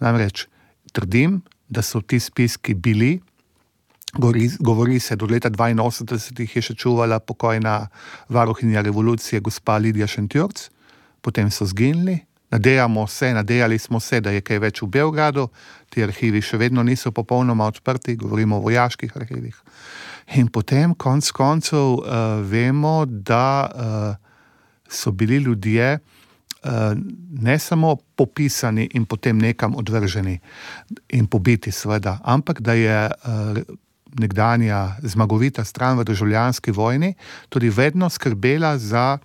namreč trdim, da so ti spiski bili, govori se, do leta 82 jih je še čuvala pokojna varuhinja revolucije gospa Lidija Šentjurc, potem so zginili, nadejali smo se, da je kaj več v Beogradu, ti arhivi še vedno niso popolnoma odprti, govorimo o vojaških arhivih. In potem konec koncev vemo, da so bili ljudje ne samo popisani in potem nekam odvrženi in pobiti seveda, ampak da je nekdanja zmagovita stran v državljanski vojni tudi vedno skrbela za,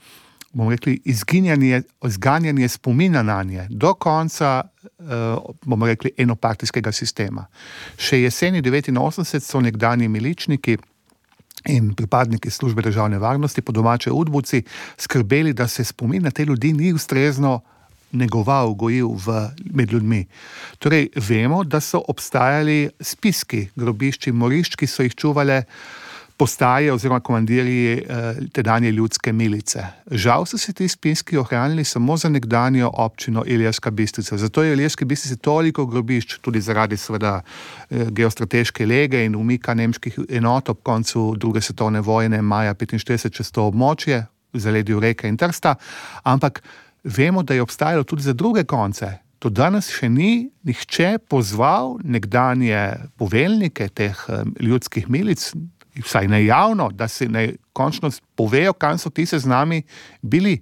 bomo rekli, izganjanje spomina na nje do konca, bomo rekli, enopartijskega sistema. Še jeseni 89 so nekdanji miličniki in pripadniki službe državne varnosti, po domače udbovci, skrbeli, da se spomin na te ljudi ni ustrezno negoval, gojil med ljudmi. Torej, vemo, da so obstajali spiski grobišč in morišč, ki so jih čuvale postaje oziroma komandirji tedanje ljudske milice. Žal so se ti spiski ohranili samo za nekdanjo občino Ilirska Bistrica. Zato je v Ilirski Bistrici toliko grobišč, tudi zaradi seveda geostrateške lege in umika nemških enot ob koncu druge svetovne vojne maja 1945 čez to območje, v zaledju Reke in Trsta, ampak vemo, da je obstajalo tudi za druge konce. To danes še ni nihče pozval nekdanje poveljnike teh ljudskih milic, vsaj ne javno, da se ne končno povejo, kam so ti seznami bili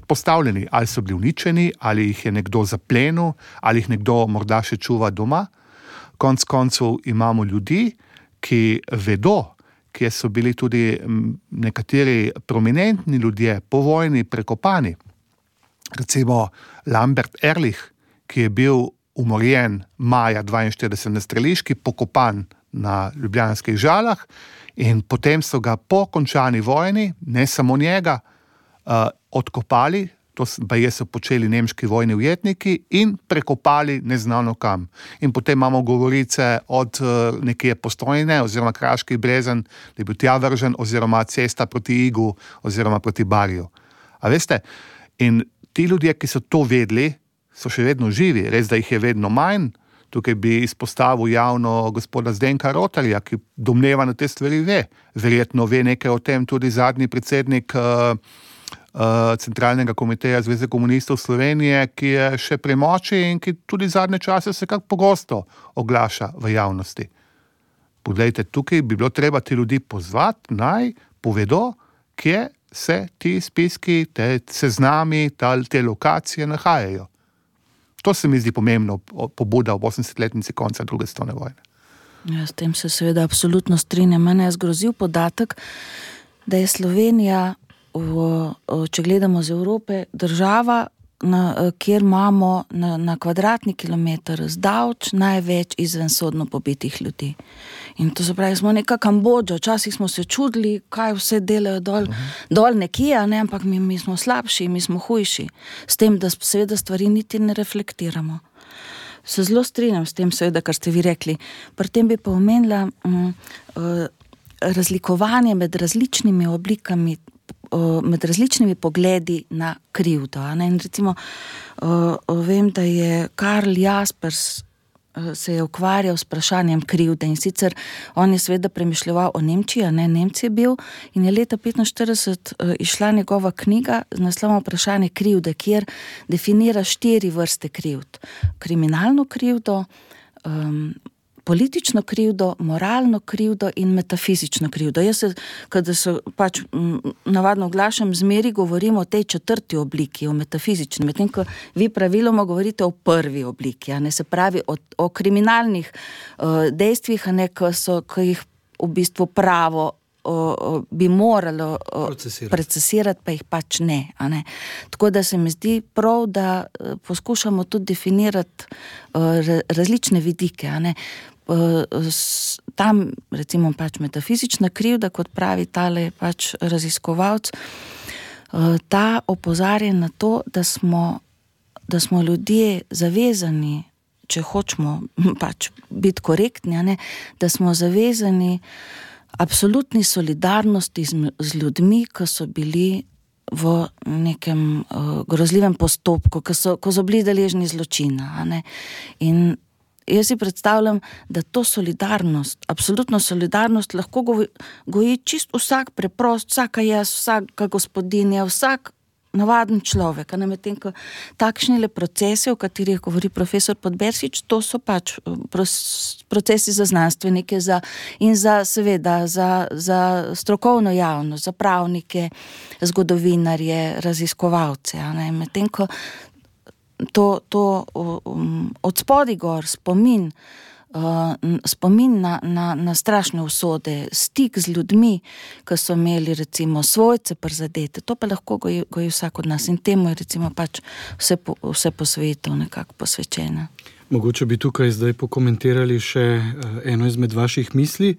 postavljeni. Ali so bili uničeni, ali jih je nekdo zaplenil, ali jih nekdo morda še čuva doma. Konec koncev imamo ljudi, ki vedo, kje so bili tudi nekateri prominentni ljudje po vojni prekopani. Recimo Lambert Ehrlich, ki je bil umorjen maja 42 na streliški, pokopan na ljubljanskih Žalah in potem so ga po končani vojni, ne samo njega, odkopali, to baje so počeli nemški vojni ujetniki in prekopali neznano kam. In potem imamo govorice od nekje Postojne oziroma Kraški Brezen, da je bil tja vržen, oziroma cesta proti Igu oziroma proti Barju. A veste, in ti ljudje, ki so to vedeli, so še vedno živi, res da jih je vedno manj. Tukaj bi izpostavil javno gospoda Zdenka Rotarja, ki domneva na te stvari ve. Verjetno ve nekaj o tem tudi zadnji predsednik Centralnega komiteja Zveze komunistov Slovenije, ki je še pri moči in ki tudi zadnje čase se kak pogosto oglaša v javnosti. Poglejte, tukaj bi bilo treba ti ljudi pozvati, naj povedo, kje se ti spiski, te seznami, te lokacije nahajajo. To se mi zdi pomembno, pobuda ob 80-letnici konca druge svetovne vojne. Ja, s tem se seveda absolutno strinjam. Mene je zgrozil podatek, da je Slovenija, če gledamo z Evrope, država, kjer imamo na kvadratni kilometer zdavč največ izvensodno pobitih ljudi. In to se pravi, smo neka Kambodža, včasih smo se čudili, kaj vse delajo dol nekje, ne? Ampak mi smo slabši, mi smo hujši, s tem, da seveda stvari niti ne reflektiramo. Se zelo strinjam s tem, seveda, kar ste vi rekli. Pri tem bi pa omenila razlikovanje med različnimi oblikami, med različnimi pogledi na krivdo. In recimo, vem, da je Karl Jaspers se je ukvarjal s vprašanjem krivde in sicer on je seveda premišljeval o Nemčiji, Nemci je bil in je leta 1945 išla njegova knjiga z naslovom Vprašanje krivde, kjer definira 4 vrste krivd. Kriminalno krivdo, politično krivdo, moralno krivdo in metafizično krivdo. Jaz se, kada se pač navadno oglašam, zmeri govorimo o tej 4. obliki, o metafizični, medtem ko vi praviloma govorite o 1. obliki, se pravi o kriminalnih dejstvih, ki jih v bistvu pravo bi moralo procesirati, pa jih pač ne. Tako da se mi zdi prav, da poskušamo tudi definirati različne vidike. tam recimo pač metafizična krivda, kot pravi tale pač raziskovalec, ta opozarja na to, da smo ljudje zavezani, če hočemo pač biti korektni, ne, da smo zavezani absolutni solidarnosti z ljudmi, ki so bili v nekem grozljivem postopku, ko so bili deležni zločina. Ne. In jaz si predstavljam, da to solidarnost, absolutno solidarnost lahko goji čist vsak preprost, vsaka jaz, vsaka gospodinja, vsak navaden človek. Medtem ko takšni procesi, o katerih govori profesor Podbersič, to so pač procesi za znanstvenike in seveda za strokovno javnost, za pravnike, zgodovinarje, raziskovalce. Medtem ko to od spodaj gor spomin na strašne usode, stik z ljudmi, ki so imeli recimo svojce prizadete, to pa lahko goji vsak od nas in temu je recimo pač vse po svetu nekako posvečena. Mogoče bi tukaj zdaj pokomentirali še eno izmed vaših misli.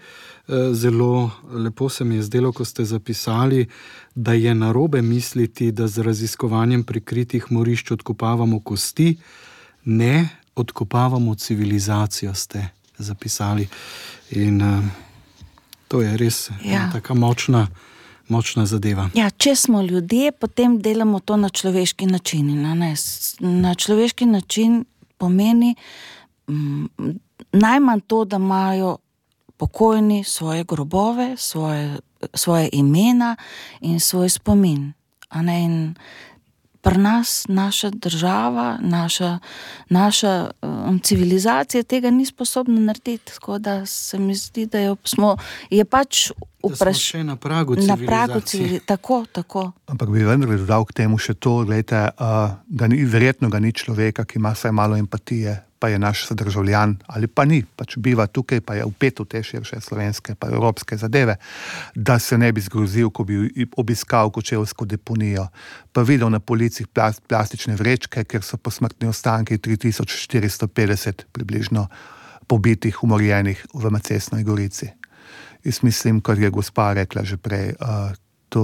Zelo lepo se mi je zdelo, ko ste zapisali, da je narobe misliti, da z raziskovanjem prikritih morišč odkopavamo kosti, ne odkopavamo civilizacijo, ste zapisali. In to je res taka močna zadeva. Ja, če smo ljudje, potem delamo to na človeški način. Na človeški način pomeni najmanj to, da imajo pokojni svoje grobove, svoje imena in svoj spomin. In pri nas, naša država, naša civilizacija tega ni sposobna narediti, tako da se mi zdi, da je pač da smo še na pragu civilizacije. Tako. Ampak bi vendar dodal k temu še to, gledajte, verjetno ga ni človeka, ki ima vsaj malo empatije, pa je naš sodržavljan, ali pa ni, pač biva tukaj, pa je vpet v te širše slovenske pa evropske zadeve, da se ne bi zgrozil, ko bi obiskal kočevsko deponijo, pa videl na policih plastične vrečke, ker so posmrtni ostanki 3450 približno pobitih, umorjenih v Macesnovi Gorici. Jaz mislim, kot je gospa rekla že prej, to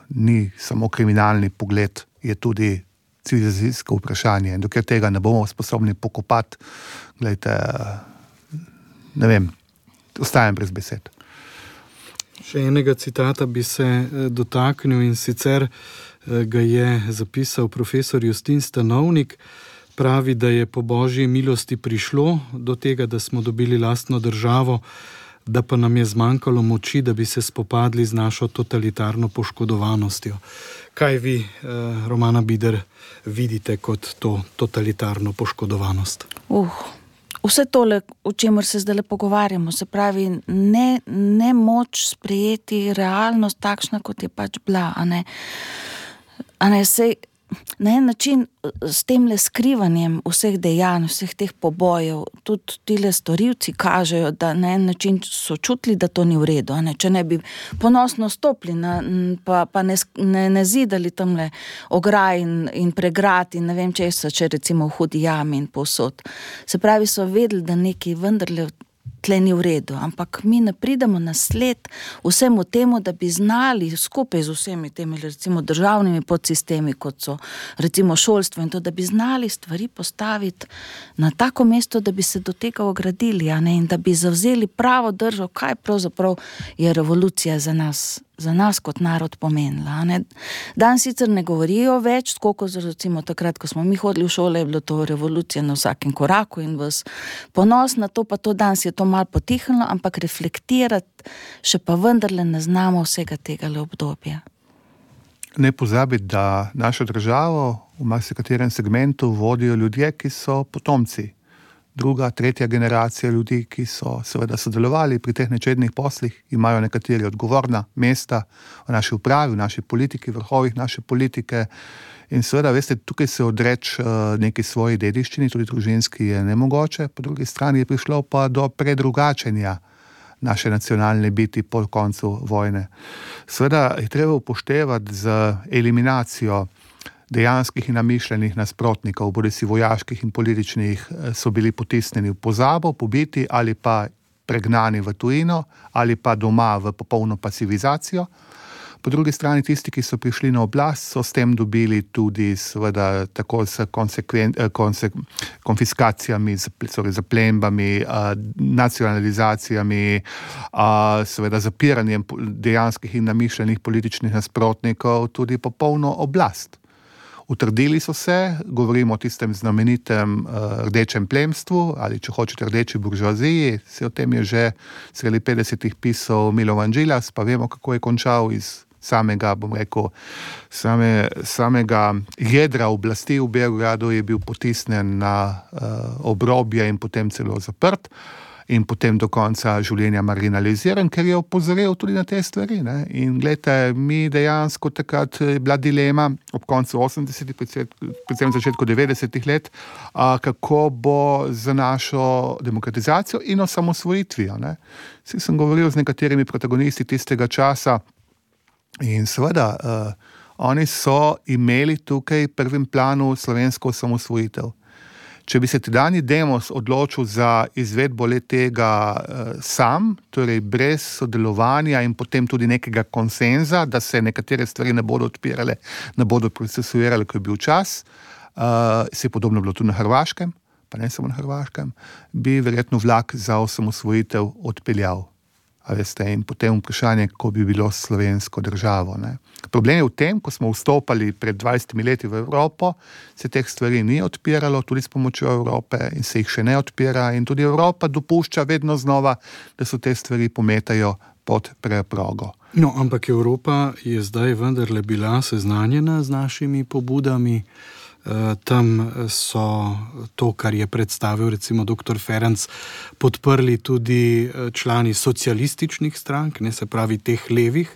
ni samo kriminalni pogled, je tudi civilizacijsko vprašanje. In dokler tega ne bomo sposobni pokopati, gledajte, ne vem, ostajam brez besed. Še enega citata bi se dotaknil in sicer ga je zapisal profesor Justin Stanovnik. Pravi, da je po božji milosti prišlo do tega, da smo dobili lastno državo, da pa nam je zmanjkalo moči, da bi se spopadli z našo totalitarno poškodovanostjo. Kaj vi, Romana Bider, vidite kot to totalitarno poškodovanost? Vse tole, o čemer se zdaj pogovarjamo, se pravi, ne moč sprejeti realnost takšna, kot je pač bila. Sej na en način s temle skrivanjem vseh dejanj, vseh teh pobojev, tudi tile storilci kažejo, da na en način so čutili, da to ni v redu. Če ne bi ponosno stopili pa ne zidali tamle ograj in pregrad in ne vem česa, če recimo v hudi jami in povsod. Se pravi, so vedeli, da nekaj vendarle tle ni v redu, ampak mi ne pridemo na sled vsemu temu, da bi znali skupaj z vsemi temi recimo državnimi podsistemi, kot so recimo šolstvo in to, da bi znali stvari postaviti na tako mesto, da bi se do tega ogradili, in da bi zavzeli pravo držo, kaj pravzaprav je revolucija za nas kot narod pomenila. Dan sicer ne govorijo več, tako kot recimo takrat, ko smo mi hodili v šole, je bilo to revolucija na vsakem koraku in vas ponos na to, pa to danes je to malo potihnilo, ampak reflektirati še pa vendarle ne znamo vsega tega obdobja. Ne pozabiti, da našo državo v marsikaterem segmentu vodijo ljudje, ki so potomci. Druga, tretja generacija ljudi, ki so seveda sodelovali pri teh nečednih poslih, imajo nekateri odgovorna mesta v naši upravi, v naši politiki, vrhovih naše politike. In seveda, veste, tukaj se odreči neki svoji dediščini, tudi družinski, je nemogoče, po drugi strani je prišlo pa do predrugačenja naše nacionalne biti po koncu vojne. Seveda je treba upoštevati z eliminacijo dejanskih in namišljenih nasprotnikov, bodisi vojaških in političnih, so bili potisnjeni v pozabo, pobiti ali pa pregnani v tujino ali pa doma v popolno pasivizacijo. Po drugi strani tisti, ki so prišli na oblast, so s tem dobili tudi seveda tako s konfiskacijami, zaplembami, nacionalizacijami, seveda zapiranjem dejanskih in namišljenih političnih nasprotnikov tudi popolno oblast. Utrdili so se, govorimo o tistem znamenitem rdečem plemstvu ali če hočete rdeči buržoaziji, se o tem je že sredi 50-ih pisal Milovan Džilas, pa vemo, kako je končal iz samega, bom rekel, samega jedra oblasti v Beogradu, je bil potisnjen na obrobje in potem celo zaprt in potem do konca življenja marginaliziran, ker je opozoril tudi na te stvari. Ne? In gledajte, mi dejansko takrat je bila dilema ob koncu 80-ih, predvsem začetku 90-ih let, kako bo za našo demokratizacijo in osamosvojitvijo. Vsi sem govoril z nekaterimi protagonisti tistega časa in seveda oni so imeli tukaj v prvem planu slovensko osamosvojitev. Če bi se tedanji Demos odločil za izvedbo le-tega sam, torej brez sodelovanja in potem tudi nekega konsenza, da se nekatere stvari ne bodo odpirale, ne bodo procesuirale, ko je bil čas, se je podobno bilo tudi na Hrvaškem, pa ne samo na Hrvaškem, bi verjetno vlak za osamosvojitev odpeljal. A veste, in potem vprašanje, kako bi bilo s slovensko državo. Ne. Problem je v tem, ko smo vstopali pred 20 leti v Evropo, se teh stvari ni odpiralo, tudi s pomočjo Evrope in se jih še ne odpira in tudi Evropa dopušča vedno znova, da so te stvari pometajo pod preprogo. No, ampak Evropa je zdaj vendarle bila seznanjena z našimi pobudami. Tam so to, kar je predstavil recimo dr. Ferenc, podprli tudi člani socialističnih strank, ne, se pravi teh levih.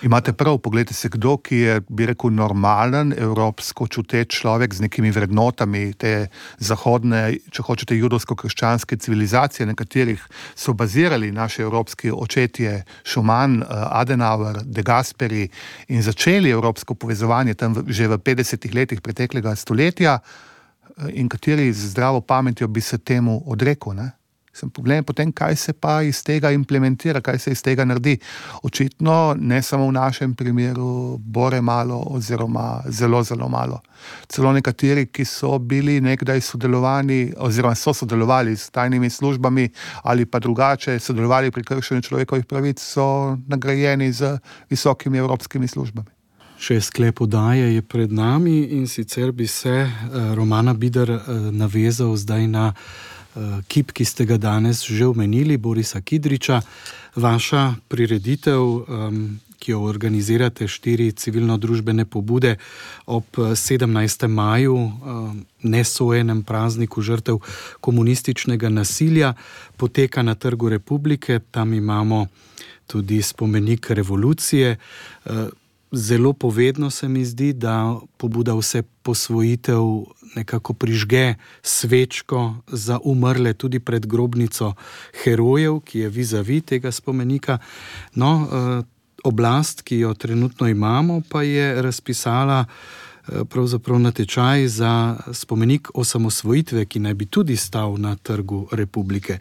Imate prav, pogledajte se, kdo, ki je, bi rekel, normalen, evropsko čuteč človek z nekimi vrednotami te zahodne, če hočete, judovsko-krščanske civilizacije, na katerih so bazirali naši evropski očetje Schumann, Adenauer, De Gasperi in začeli evropsko povezovanje tam že v 50 letih preteklega stoletja in kateri z zdravo pametjo bi se temu odrekel, ne? Problem je potem, kaj se pa iz tega implementira, kaj se iz tega naredi. Očitno ne samo v našem primeru bore malo oziroma zelo, zelo malo. Celo nekateri, ki so bili nekdaj sodelovani oziroma so sodelovali s tajnimi službami ali pa drugače sodelovali pri kršenju človekovih pravic, so nagrajeni z visokimi evropskimi službami. Še sklep oddaje je pred nami in sicer bi se Romana Bider navezal zdaj na kip, ki ste ga danes že omenili, Borisa Kidriča. Vaša prireditev, ki jo organizirate 4 civilno-družbene pobude ob 17. maju, nesojenem prazniku žrtev komunističnega nasilja, poteka na Trgu Republike. Tam imamo tudi spomenik revolucije. Zelo povedno se mi zdi, da pobuda Vse posvojitev nekako prižge svečko za umrle tudi pred grobnico herojev, ki je vizavi tega spomenika. No, oblast, ki jo trenutno imamo, pa je razpisala pravzaprav natečaj za spomenik osamosvojitve, ki naj bi tudi stal na Trgu Republike.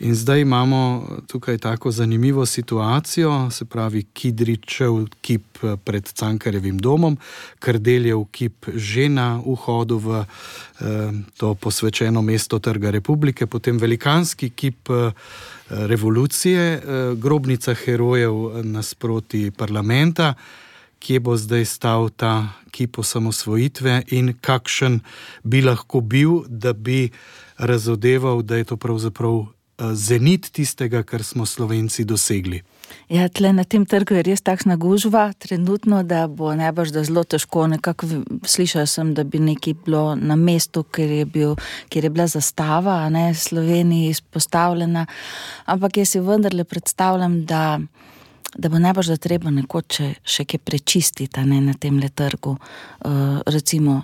In zdaj imamo tukaj tako zanimivo situacijo, se pravi Kidričev kip pred Cankarjevim domom, Kardeljev kip že na vhodu v to posvečeno mesto Trga Republike, potem velikanski kip revolucije, grobnica herojev nasproti parlamenta. Kje bo zdaj stal ta kip osamosvojitve in kakšen bi lahko bil, da bi razodeval, da je to pravzaprav zenit tistega, kar smo Slovenci dosegli. Ja, tle na tem trgu je res takšna gužva trenutno, da bo najbrž da zelo težko. Nekako slišala sem, da bi nekaj bilo na mestu, kjer je bila zastava, a ne, Sloveniji izpostavljena, ampak jaz si vendarle predstavljam, da bo najbrž da treba nekoč še kaj prečistiti, ne, na temle trgu. Recimo,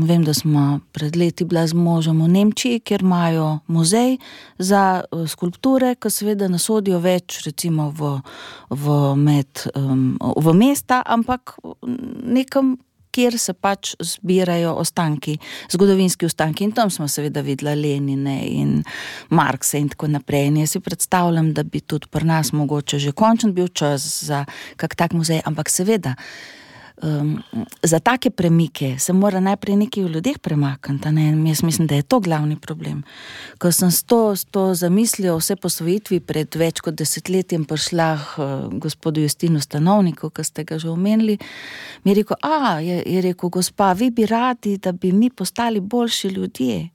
vem, da smo pred leti bila z možem v Nemčiji, kjer imajo muzej za skulpture, ki seveda ne sodijo več recimo v mesta, ampak nekam kjer se pač zbirajo ostanki, zgodovinski ostanki. In tam smo seveda videli Lenine in Markse in tako naprej. In jaz si predstavljam, da bi tudi pri nas mogoče že končen bil čas za kak tak muzej, ampak seveda, za take premike se mora najprej nekaj v ljudeh premakniti, ne? Jaz mislim, da je to glavni problem. Ko sem s to zamislijo vse posvojitvi pred več kot 10 letjem prišla gospodu Justinu Stanovniku, ki ste ga že omenili, mi je rekel, je rekel, gospa, vi bi radi, da bi mi postali boljši ljudje.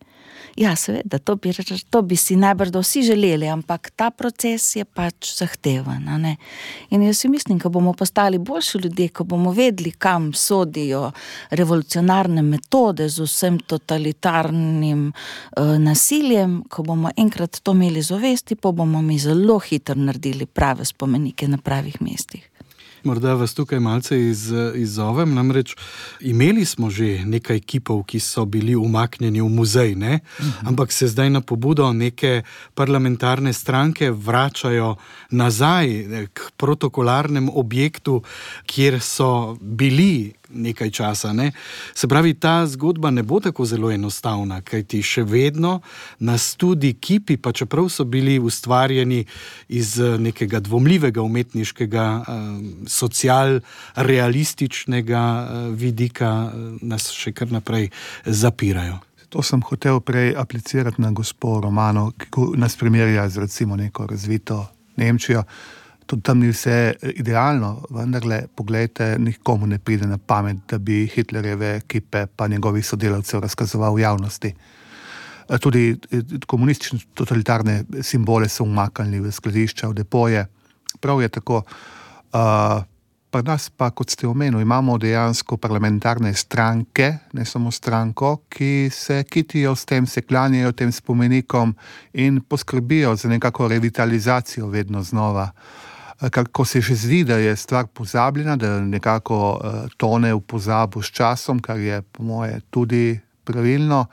Ja, seveda, to bi si najbrž vsi želeli, ampak ta proces je pač zahteven, ne? In jaz si mislim, ko bomo postali boljši ljudje, ko bomo vedeli, kam sodijo revolucionarne metode z vsem totalitarnim nasiljem, ko bomo enkrat to imeli zavesti, pa bomo mi zelo hitro naredili prave spomenike na pravih mestih. Morda vas tukaj malce izzovem, namreč imeli smo že nekaj kipov, ki so bili umaknjeni v muzej, ne? Ampak se zdaj na pobudo neke parlamentarne stranke vračajo nazaj k protokolarnem objektu, kjer so bili nekaj časa, ne? Se pravi, ta zgodba ne bo tako zelo enostavna, kajti še vedno nas tudi kipi, pa čeprav so bili ustvarjeni iz nekega dvomljivega umetniškega social-realističnega vidika, nas še kar naprej zapirajo. To sem hotel prej aplicirati na gospo Romano, ki nas primerja z recimo neko razvito Nemčijo. Tudi tam ni vse idealno, vendarle, poglejte, nikomu ne pride na pamet, da bi Hitlerjeve ekipe pa njegovih sodelavcev razkazoval v javnosti. Tudi komunistične totalitarne simbole so umaknili v skladišča, v depoje. Prav je tako. Pri nas pa, kot ste omenili, imamo dejansko parlamentarne stranke, ne samo stranko, ki se kitijo s tem, se klanjajo tem spomenikom in poskrbijo za nekako revitalizacijo vedno znova. Ko se že zdi, da je stvar pozabljena, da nekako tone v pozabo s časom, kar je po moje tudi pravilno,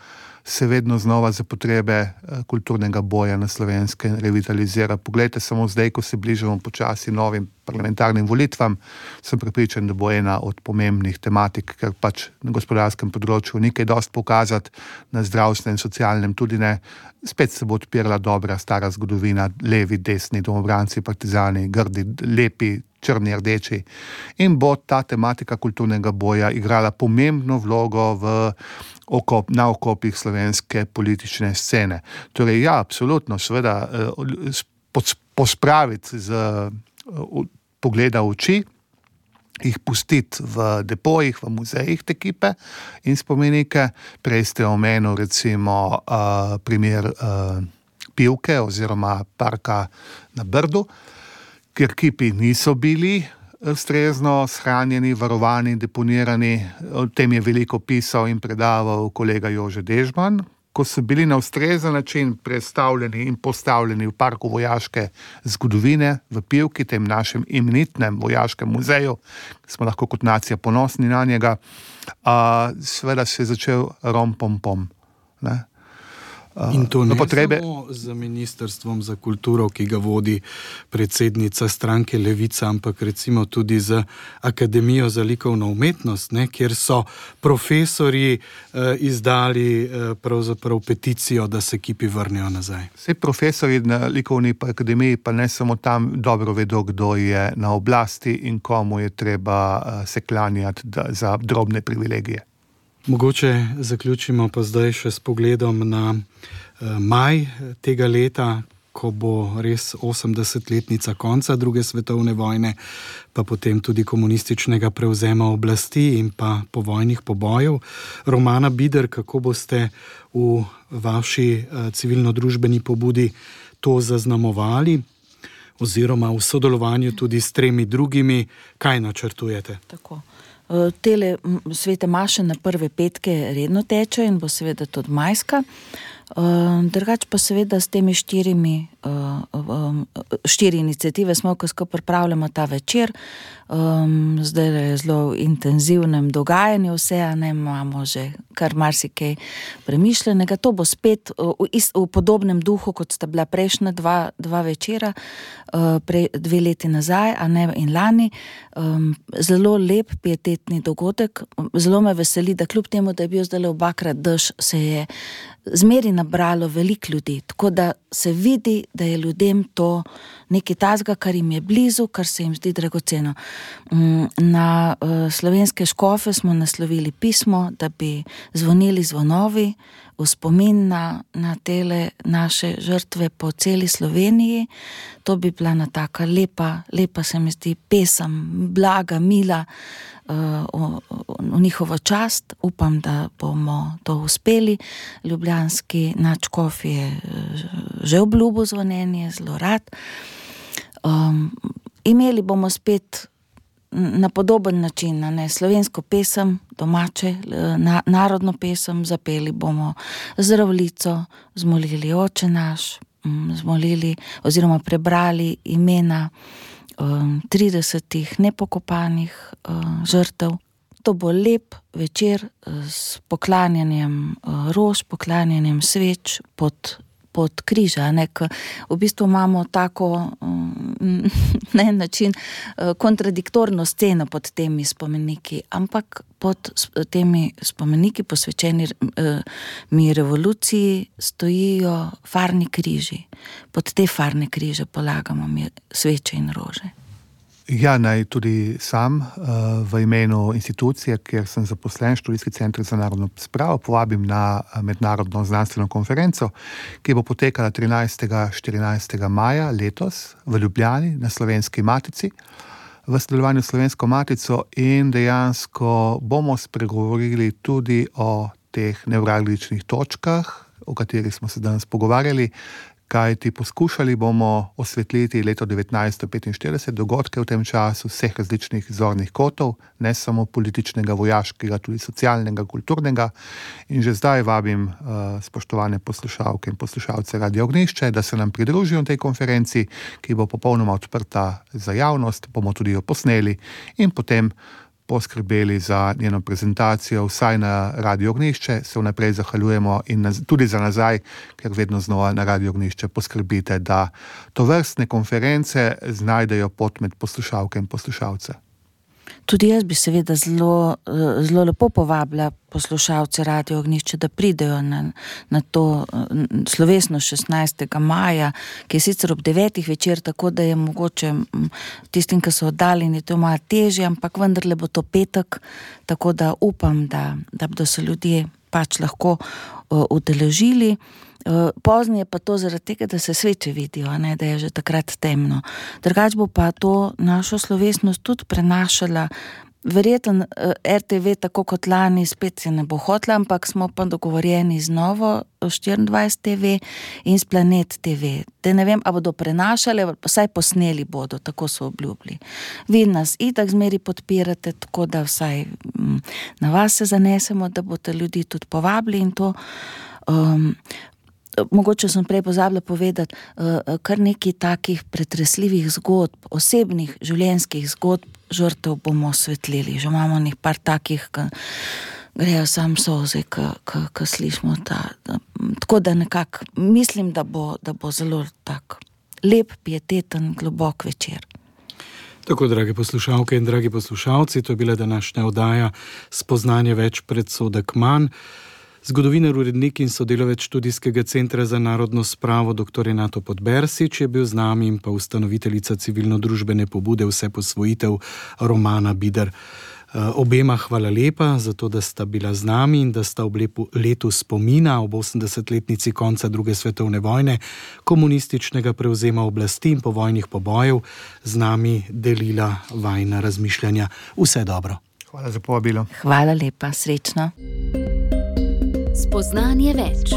se vedno znova za potrebe kulturnega boja na Slovenskem revitalizira. Poglejte, samo zdaj, ko se bližamo počasi novim parlamentarnim volitvam, sem prepričan, da bo ena od pomembnih tematik, ker pač na gospodarskem področju ni kaj dosti pokazati, na zdravstvenem, socialnem tudi ne. Spet se bo odpirala dobra stara zgodovina, levi, desni, domobranci, partizani, grdi, lepi, črni, rdeči. In bo ta tematika kulturnega boja igrala pomembno vlogo na okopih slovenske politične scene. Torej, ja, absolutno, seveda, pospraviti z pogleda oči, jih pustiti v depojih, v muzejih te kipe in spomenike. Prej ste omenil recimo primer Pivke oziroma parka na Brdu, kjer kipi niso bili ustrezno shranjeni, varovani, deponirani. O tem je veliko pisal in predaval kolega Jože Dežman. Ko so bili na ustrezen način predstavljeni in postavljeni v parku vojaške zgodovine v Pivki, tem našem imenitnem vojaškem muzeju, smo lahko kot nacija ponosni na njega, seveda se je začel rom-pom-pom, ne? In to ne samo z Ministrstvom za kulturo, ki ga vodi predsednica stranke Levica, ampak recimo tudi z Akademijo za likovno umetnost, ne, kjer so profesorji izdali pravzaprav peticijo, da se kipi vrnejo nazaj. Vsi profesorji na likovni akademiji pa ne samo tam dobro vedo, kdo je na oblasti in komu je treba se klanjati za drobne privilegije. Mogoče zaključimo pa zdaj še s pogledom na maj tega leta, ko bo res 80-letnica konca druge svetovne vojne, pa potem tudi komunističnega prevzema oblasti in pa povojnih pobojev. Romana Bider, kako boste v vaši civilno-družbeni pobudi to zaznamovali, oziroma v sodelovanju tudi s 3 drugimi, kaj načrtujete? Tako. Tele svete maše na prve petke redno teče in bo seveda tudi majska. Drugače pa seveda s temi štiri iniciative smo, ko skupaj pripravljamo ta večer. Zdaj je zelo intenzivnem dogajanju vse, imamo že kar marsikaj premišljenega. To bo spet v podobnem duhu, kot sta bila prejšnja dva večera, 2 leti nazaj, in lani. Zelo lep pietetni dogodek. Zelo me veseli, da kljub temu, da je bil zdaj obakrat dež, se je zmeri nabralo veliko ljudi, tako da se vidi, da je ljudem to nekaj tazga, kar jim je blizu, kar se jim zdi dragoceno. Na slovenske škofe smo naslovili pismo, da bi zvonili zvonovi v spomin na tele naše žrtve po celi Sloveniji. To bi bila ena taka lepa se mi zdi pesem, blaga, mila, v njihovo čast. Upam, da bomo to uspeli. Ljubljanski nadškof je že obljubil zvonjenje, zelo rad. Imeli bomo spet na podoben način, slovensko pesem, domače, narodno pesem, zapeli bomo Zdravljico, zmolili Oče naš, zmolili oziroma prebrali imena 30 nepokopanih žrtev. To bo lep večer s poklanjanjem rož, poklanjanjem sveč pod križa, v bistvu imamo tako na en način kontradiktorno sceno pod temi spomeniki, ampak pod temi spomeniki posvečeni revoluciji stojijo farni križi. Pod te farne križe polagamo sveče in rože. Ja, naj tudi sam v imenu institucije, kjer sem zaposlen, Študijski center za narodno spravo, povabim na mednarodno znanstveno konferenco, ki bo potekala 13.14. maja letos v Ljubljani na Slovenski matici, v sodelovanju s Slovensko matico, in dejansko bomo spregovorili tudi o teh nevralgičnih točkah, o katerih smo se danes pogovarjali, kajti poskušali bomo osvetliti leto 1945, dogodke v tem času, vseh različnih zornih kotov, ne samo političnega, vojaškega, tudi socialnega, kulturnega. In že zdaj vabim spoštovane poslušalke in poslušalce Radia Ognjišče, da se nam pridružijo tej konferenci, ki bo popolnoma odprta za javnost, bomo tudi jo posneli in potem poskrbeli za njeno prezentacijo, vsaj na Radio Ognjišče, se vnaprej zahvaljujemo in tudi za nazaj, ker vedno znova na Radio Ognjišče poskrbite, da tovrstne konference znajdejo pot med poslušalke in poslušalce. Tudi jaz bi seveda zelo lepo povabila poslušalce Radio Ognjišče, da pridejo na to slovesno 16. maja, ki je sicer ob 9. večer, tako da je mogoče tistim, ki so oddaljeni, to malo težje, ampak vendarle bo to petek, tako da upam, da bodo se ljudje pač lahko udeležili. Pozni je pa to zaradi tega, da se sveče vidijo, da je že takrat temno. Drugače bo pa to našo slovesnost tudi prenašala, verjetno RTV, tako kot lani, spet se ne bo hotla, ampak smo pa dogovorjeni z Novo 24 TV in s Planet TV. Da ne vem, a bodo prenašali, vsaj posneli bodo, tako so obljubili. Vi nas itak zmeri podpirate, tako da vsaj na vas se zanesemo, da boste ljudi tudi povabili in to. Mogoče sem prej pozabila povedati, kar nekaj takih pretresljivih zgodb, osebnih življenjskih zgodb žrtev bomo osvetlili. Že imamo nekaj par takih, ki grejo sam solze, ki slišimo tako da nekako mislim, da bo zelo tak lep, pieteten, globok večer. Tako, drage poslušalke in dragi poslušalci, to je bila današnja oddaja Spoznanje več, predsodek manj. Zgodovinar, urednik in sodelavec Študijskega centra za narodno spravo dr. Renato Podbersič je bil z nami in pa ustanoviteljica civilno-družbene pobude Vseposvojitev Romana Bider. Obema hvala lepa za to, da sta bila z nami in da sta ob letu spomina ob 80-letnici konca druge svetovne vojne, komunističnega prevzema oblasti in povojnih pobojev z nami delila vajina razmišljanja. Vse dobro. Hvala za povabilo. Hvala lepa, srečno. Spoznanje več.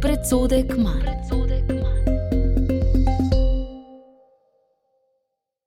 Predsodek manj.